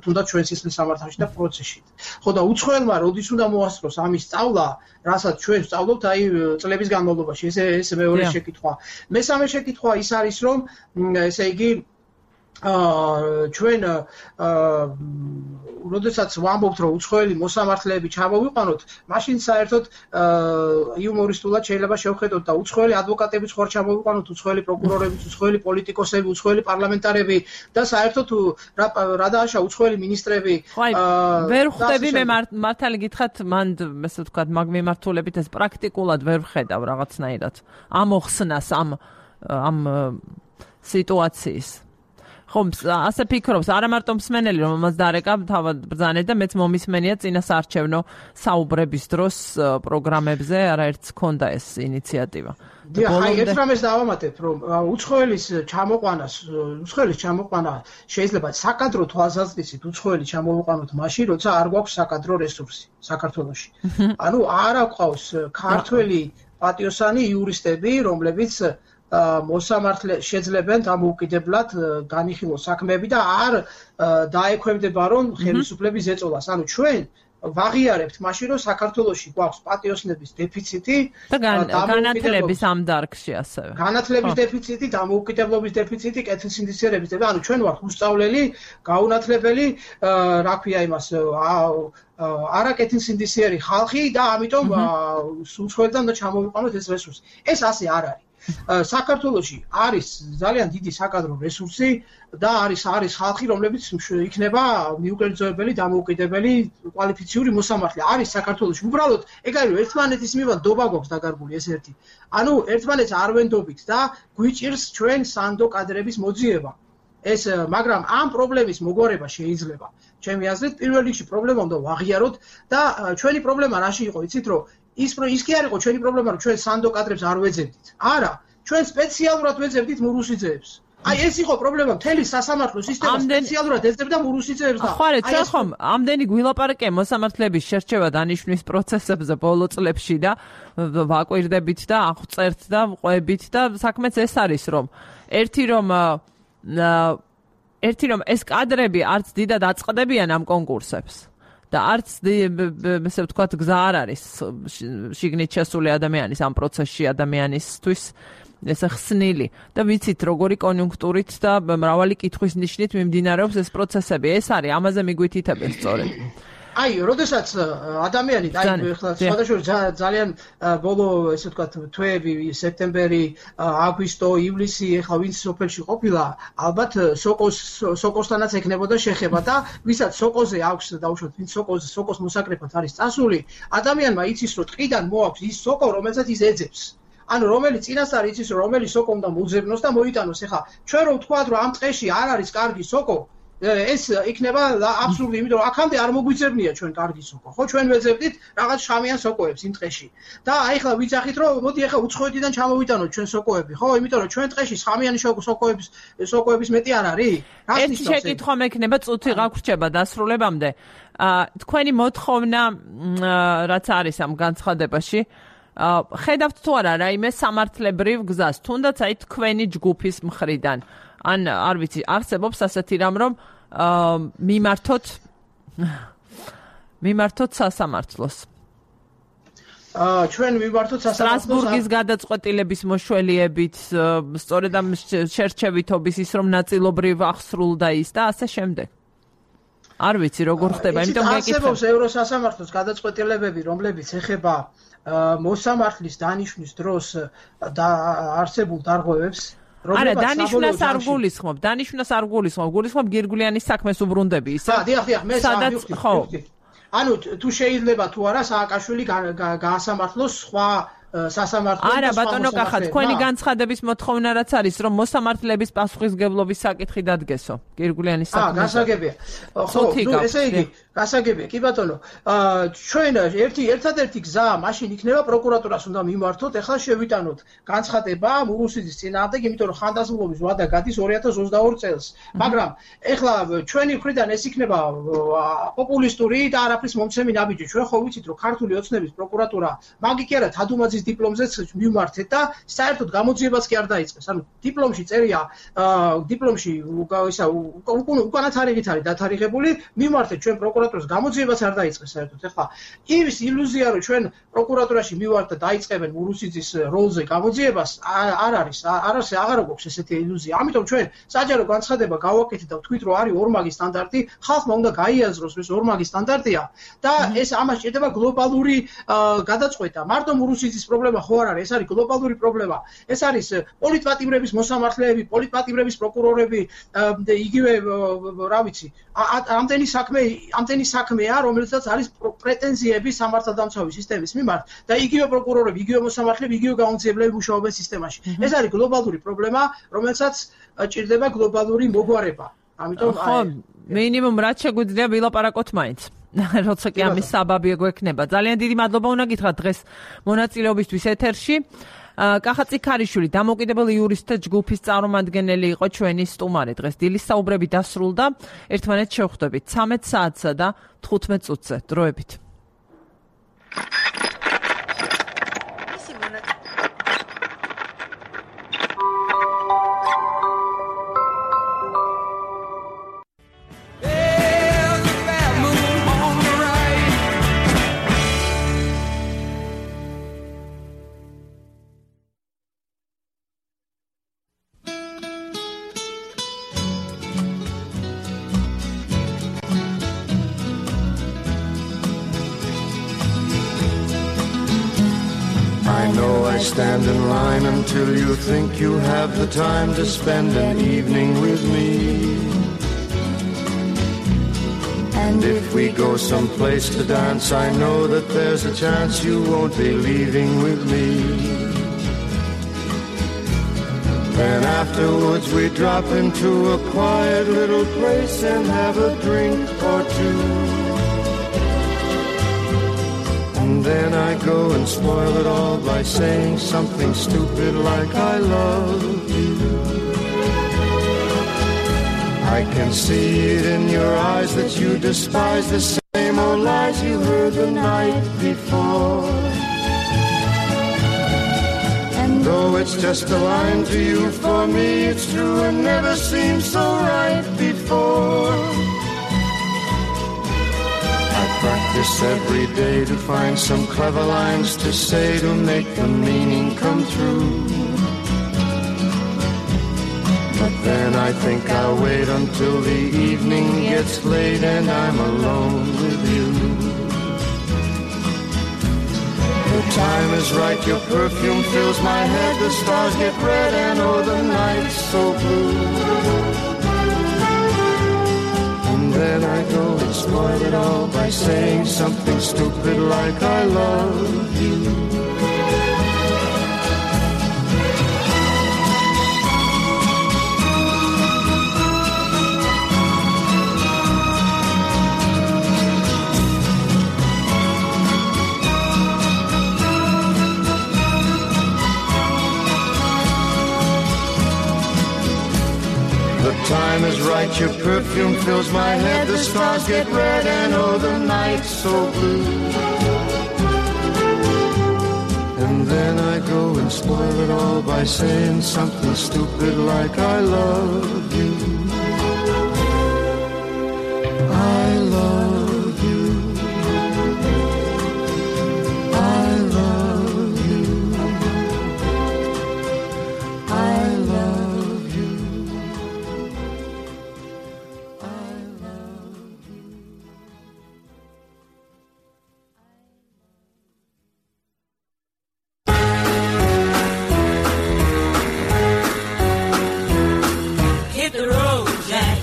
თუნდაც ჩვენ სისხლის სამართალში და პროცესში ხო და უცხოელმა როდის უნდა მოასწროს ამის სწავლა რასაც ჩვენ ვსწავლობთ აი წლების განმავლობაში ეს მეორე შეკითხვა. მესამე შეკითხვა ის არის რომ ესე იგი ჩვენ როდესაც ვამბობთ რომ უცხოელი მოსამართლეები ჩამოვიყვანოთ, მაშინ საერთოდ იუმორისტულად შეიძლება შევხედოთ და უცხოელი ადვოკატებიც ხوار ჩამოვიყვანოთ, უცხოელი პროკურორებიც, უცხოელი პოლიტიკოსები, უცხოელი პარლამენტარები და საერთოდ რა დააშა უცხოელი ministrები ვერ ხვდები მე მართალი გითხრათ მან ესე ვთქვათ მაგ მიმართულებით ეს პრაქტიკულად ვერ ვხედავ რაღაცნაირად ამ ოხსნას ამ სიტუაციის ხომ ასე ფიქრობს არა მარტო მსმენელი რომელმაც დარეკა თავად ბრძანეთ და მეც მომისმენია წინა საარჩევნო საუბრების დროს პროგრამებზე არაერთს ჰქონდა ეს ინიციატივა აი ერთ რამეს დავამატებ რომ უცხოელის ჩამოყვანა შეიძლება საკადრო თვალსაზრისით უცხოელი ჩამოვიყვანოთ მაშინ როცა არ გვაქვს საკადრო რესურსი საქართველოში ანუ არ აქვს ქართველი პატიოსანი იურისტები რომლებიც მოსამართლე შეძლებენ დამოუკიდებლად განიხილოს საქმეები და არ დაექვემდება რომ ხელისუფლების ეწოლას. ანუ ჩვენ ვაღიარებთ მაშინ რომ საქართველოში გვაქვს პატიოსნების დეფიციტი და განათლების ამ დარგში ასევე. განათლების დეფიციტი, დამოუკიდებლობის დეფიციტი, კეთილსინდისიერების და ანუ ჩვენ ვართ უსწავლელი, გაუნათლებელი, რა ქვია იმას არაკეთილსინდისიერი ხალხი და ამიტომ უცხოელთან უნდა ჩამოვიყვანოთ ეს რესურსი. ეს ასე არ არის. საქართველოში არის ძალიან დიდი საკადრო რესურსი და არის ხალხი რომლებიც იქნება მიუკერძოებელი დამოუკიდებელი კვალიფიციური მოსამართლე არის საქართველოში უბრალოდ ეგ არის ერთმანეთის მიმართ დობა გვაქვს დაგარგული ეს ერთი ანუ ერთმანეთს არ ვენდობით და გვიჭირს ჩვენ სანდო კადრების მოძიება ეს მაგრამ ამ პრობლემის მოგვარება შეიძლება ჩემი აზრით პირველ რიგში პრობლემა უნდა ვაღიაროთ და ჩვენი პრობლემა რაში იყო იცით რომ ის კი არ იყო ჩვენი პრობლემა რომ ჩვენ სანდო კადრებს არ ვეძებდით. არა, ჩვენ სპეციალურად ვეძებდით მურუსიძეებს. აი ეს იყო პრობლემა, მთელი სასამართლო სისტემა სპეციალურად ეძებდა მურუსიძეებს და ხო, ხომ, ამდენი გვილაპარაკე მოსამართლეების შერჩევა დანიშვნის პროცესებზე ბოლო წლებში და ვაკვირდებით და აღწერთ და ყვებით და საქმეც ეს არის რომ ერთი რომ ერთი რომ ეს კადრები არც დიდად აწყდებიან ამ კონკურსებს და არც ესე ვთქვათ გზა არ არის შიგნით შესული ადამიანის ამ პროცესში ადამიანისთვის ეს ხსნილი და ვიცით როგორი კონიუნქტურით და მრავალი კითხვის ნიშნით მიმდინარეობს ეს პროცესები ეს არის ამაზე მიგვითითებენ სწორედ აი, როდესაც ადამიანი, აი, ხლა სხვადასხვა ძალიან ბოლო, ესე ვთქვათ, თვეები, სექტემბერი, აგვისტო, ივლისი, ხლა ვინც სოფელში ყოფილა, ალბათ სოკოსთანაც ეკნებოდა შეხება და ვისაც სოკოზე აქვს დაუშვათ, ვინც სოკოს მოსაკრეფად არის წასული, ადამიანმა იცის, რომ ტყიდან მოაქვს ის სოკო, რომელსაც ის ეძებს. ანუ რომელიც წინასწარ იცის, რომ რომელი სოკო უნდა მოძებნოს და მოიტანოს. ეხლა ჩვენ რომ ვთქვათ, რომ ამ ტყეში არ არის კარგი სოკო, ეს იქნება აბსურდი, იმიტომ რომ აქამდე არ მოგვიძებნია ჩვენ კარგი სოკო. ხო, ჩვენ ვეძებდით რაღაც შამიან სოკოებს იმ ტყეში. და აი ხლა ვიცახით, რომ მოდი ახლა უცხოეთიდან ჩამოვიტანოთ ჩვენ სოკოები, ხო? იმიტომ რომ ჩვენ ტყეში შამიანი სოკოების მეტი არ არის. ერთი შეკითხვა მექნება, წუთი გაგვრჩება დასრულებამდე. თქვენი მოთხოვნა რაც არის ამ განცხადებაში ხედავთ თუ არა რაიმე სამართლებრივ გზას, თუნდაც აი თქვენი ჯგუფის მხრიდან. ან არ ვიცი, არსებობს ასეთი რამ, რომ მიმართოთ სასამართლოს. ჩვენ მიმართოთ სასამართლოს სტრასბურგის გადაწყვეტილების მოშველიებით, სწორედ ამ შერჩევითობის ის რომ ნაწილობრივ აღსრულდა ის და ასე შემდეგ. არ ვიცი როგორ ხდება, იმიტომ გეკითხე. არსებობს ევროსასამართლოს გადაწყვეტილებები, რომლებიც ეხება მოსამართლის დანიშვნის დროს და არსებულ დარღვევებს. არა, დანიშვნას არ გულისხმობ, გულისხმობ გირგვლიანის საქმეს უბრუნდები, ისე? დიახ, მე სადაც ხო. ანუ თუ შეიძლება თუ არა სააკაშვილი გაასამართლოს სხვა სასამართლო არა ბატონო კახა თქვენი განცხადების მოთხოვნა რაც არის რომ მოსამართლეების პასუხისგებლობის საკითხი დადგესო გირგვლიანის საქმეზე. გასაგებია. ხო, ესე იგი გასაგებია. კი ბატონო, ჩვენ ერთადერთი გზა მაშინ იქნება პროკურატურას უნდა მიმართოთ, ეხლა შევიტანოთ განცხადება მურუსიძის წინააღმდეგ, იმიტომ რომ ხანდაზმულობის ვადა გადის 2022 წელს. მაგრამ ეხლა ჩვენი მხრიდან ეს იქნება პოპულისტური და არაფრის მომცემი ნაბიჯი. ჩვენ ხო ვიცით რომ ქართული ოცნების პროკურატურა მაგი კი არა თადუმაძის დიპლომზეც მიმართეთ და საერთოდ გამოძიებას კი არ დაიწყეს. ანუ დიპლომში წერია, დიპლომში ისა უკანაც არიგით არის დათარიღებული, მიმართეთ ჩვენ პროკურატურას გამოძიებას არ დაიწყეს საერთოდ. ეხლა ის ილუზია რომ ჩვენ პროკურატურაში მივართ და დაიწყებენ მურუსიძის როლზე გამოძიებას არ არის, აღარ გვაქვს ესეთი ილუზია. ამიტომ ჩვენ საჯარო განცხადება გავაკეთეთ და ვთქვით რომ არის ორმაგი სტანდარტი, ხალხმა უნდა გაიაზროს ეს ორმაგი სტანდარტია და ეს ამას ჭირდება გლობალური გადაწყვეტა. მარტო მურუსიძის პრობლემა ხო არ არის, ეს არის გლობალური პრობლემა. ეს არის პოლიტპატიმრების მოსამართლეები, პოლიტპატიმრების პროკურორები, იგივე რა ვიცი, ამდენი საქმეა, რომელსაც არის პრეტენზიები სამართალდამცავი სისტემის მიმართ და იგივე პროკურორები, იგივე მოსამართლეები, იგივე გამოცდილებლები მუშაობენ სისტემაში. ეს არის გლობალური პრობლემა, რომელსაც ჭირდება გლობალური მოგვარება. ამიტომ ხო, მინიმუმ რაც შეგვიძლია ვილაპარაკოთ მაინც. როცა კი ამის საბაბი გვექნება. ძალიან დიდი მადლობა უნდა გითხრათ დღეს მონაწილეობისთვის ეთერში. კახა წიქარიშვილი დამოუკიდებელი იურისტთა ჯგუფის წარმომადგენელი იყო ჩვენი სტუმარი. დღეს დილის საუბრები დასრულდა. ერთმანეთს შევხვდებით 13 საათსა და 15 წუთზე. დროებით. Stand in line until you think you have the time to spend an evening with me. And if we go someplace to dance, I know that there's a chance you won't be leaving with me. Then afterwards we drop into a quiet little place and have a drink or two. And then I go and spoil it all by saying something stupid like I love you. I can see it in your eyes that you despise the same old lies you heard the night before. And Though it's just a line to you, for me it's true and never seemed so right before. I practice every day to find some clever lines to say to make the meaning come true. But then I think I'll wait until the evening gets late and I'm alone with you. The time is right, your perfume fills my head, the stars get red and oh the night's so blue. And then I go and spoil it all by saying something stupid like I love you. The time is right, your perfume fills my head, the stars get red and oh the night's so blue. And then I go and spoil it all by saying something stupid like I love you. I love you. I love you. I love you. Hit the road, Jack.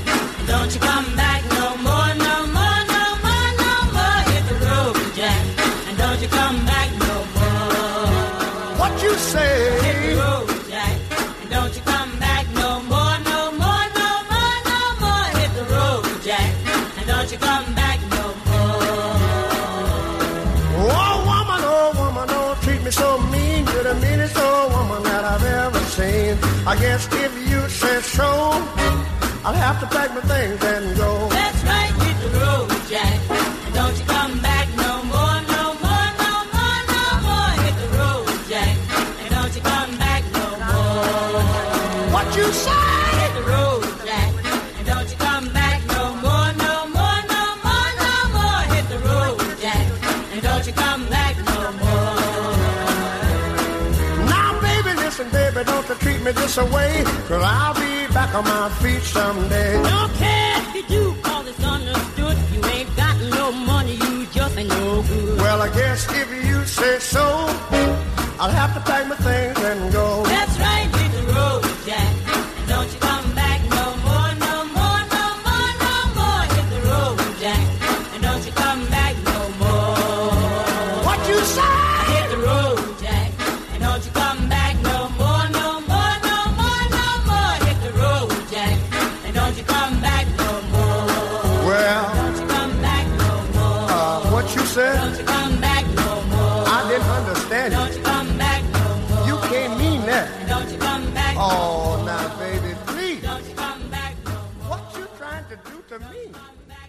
Don't you come back no more, no more, no more, no more. Hit the road, Jack. And don't you come back no more. What you say? Hit the road, Jack. And don't you come back no more, no more, no more, no more. Hit the road, Jack. And don't you come back no more. Oh woman, don't treat me so mean. You're the meanest old woman that I've ever seen. I guess if you say so, I'll have to pack my things and go. That's right, hit the road, Jack. And don't you come back no more, no more, no more, no more. Hit the road, Jack. And don't you come back no more. What you say? Hit the road, Jack. And don't you come back no more, no more, no more, no more. Hit the road, Jack. And don't you come back no more. Now baby, listen baby, don't you treat me this away, 'cause I'll be back on my feet someday. Don't care if you do, 'cause it's understood. You ain't got no money, you just ain't no good. Well, I guess if you say so, I'll have to pack my things and go. That's right, hit the road, Jack. And don't you come back no more, no more, no more, no more. Hit the road, Jack. And don't you come back no more. What you say? Hit the road, Jack. And don't you come back no more, no more, no more, no more. Hit the road, Jack. And don't you come back no more. Well, Don't you come back no more. what you said? Don't you come back no more. I didn't understand Don't you. you come back no more. You can't mean that. Don't you come back no more. Oh, now baby, please. Don't you come back no more. What you trying to do to me? Come back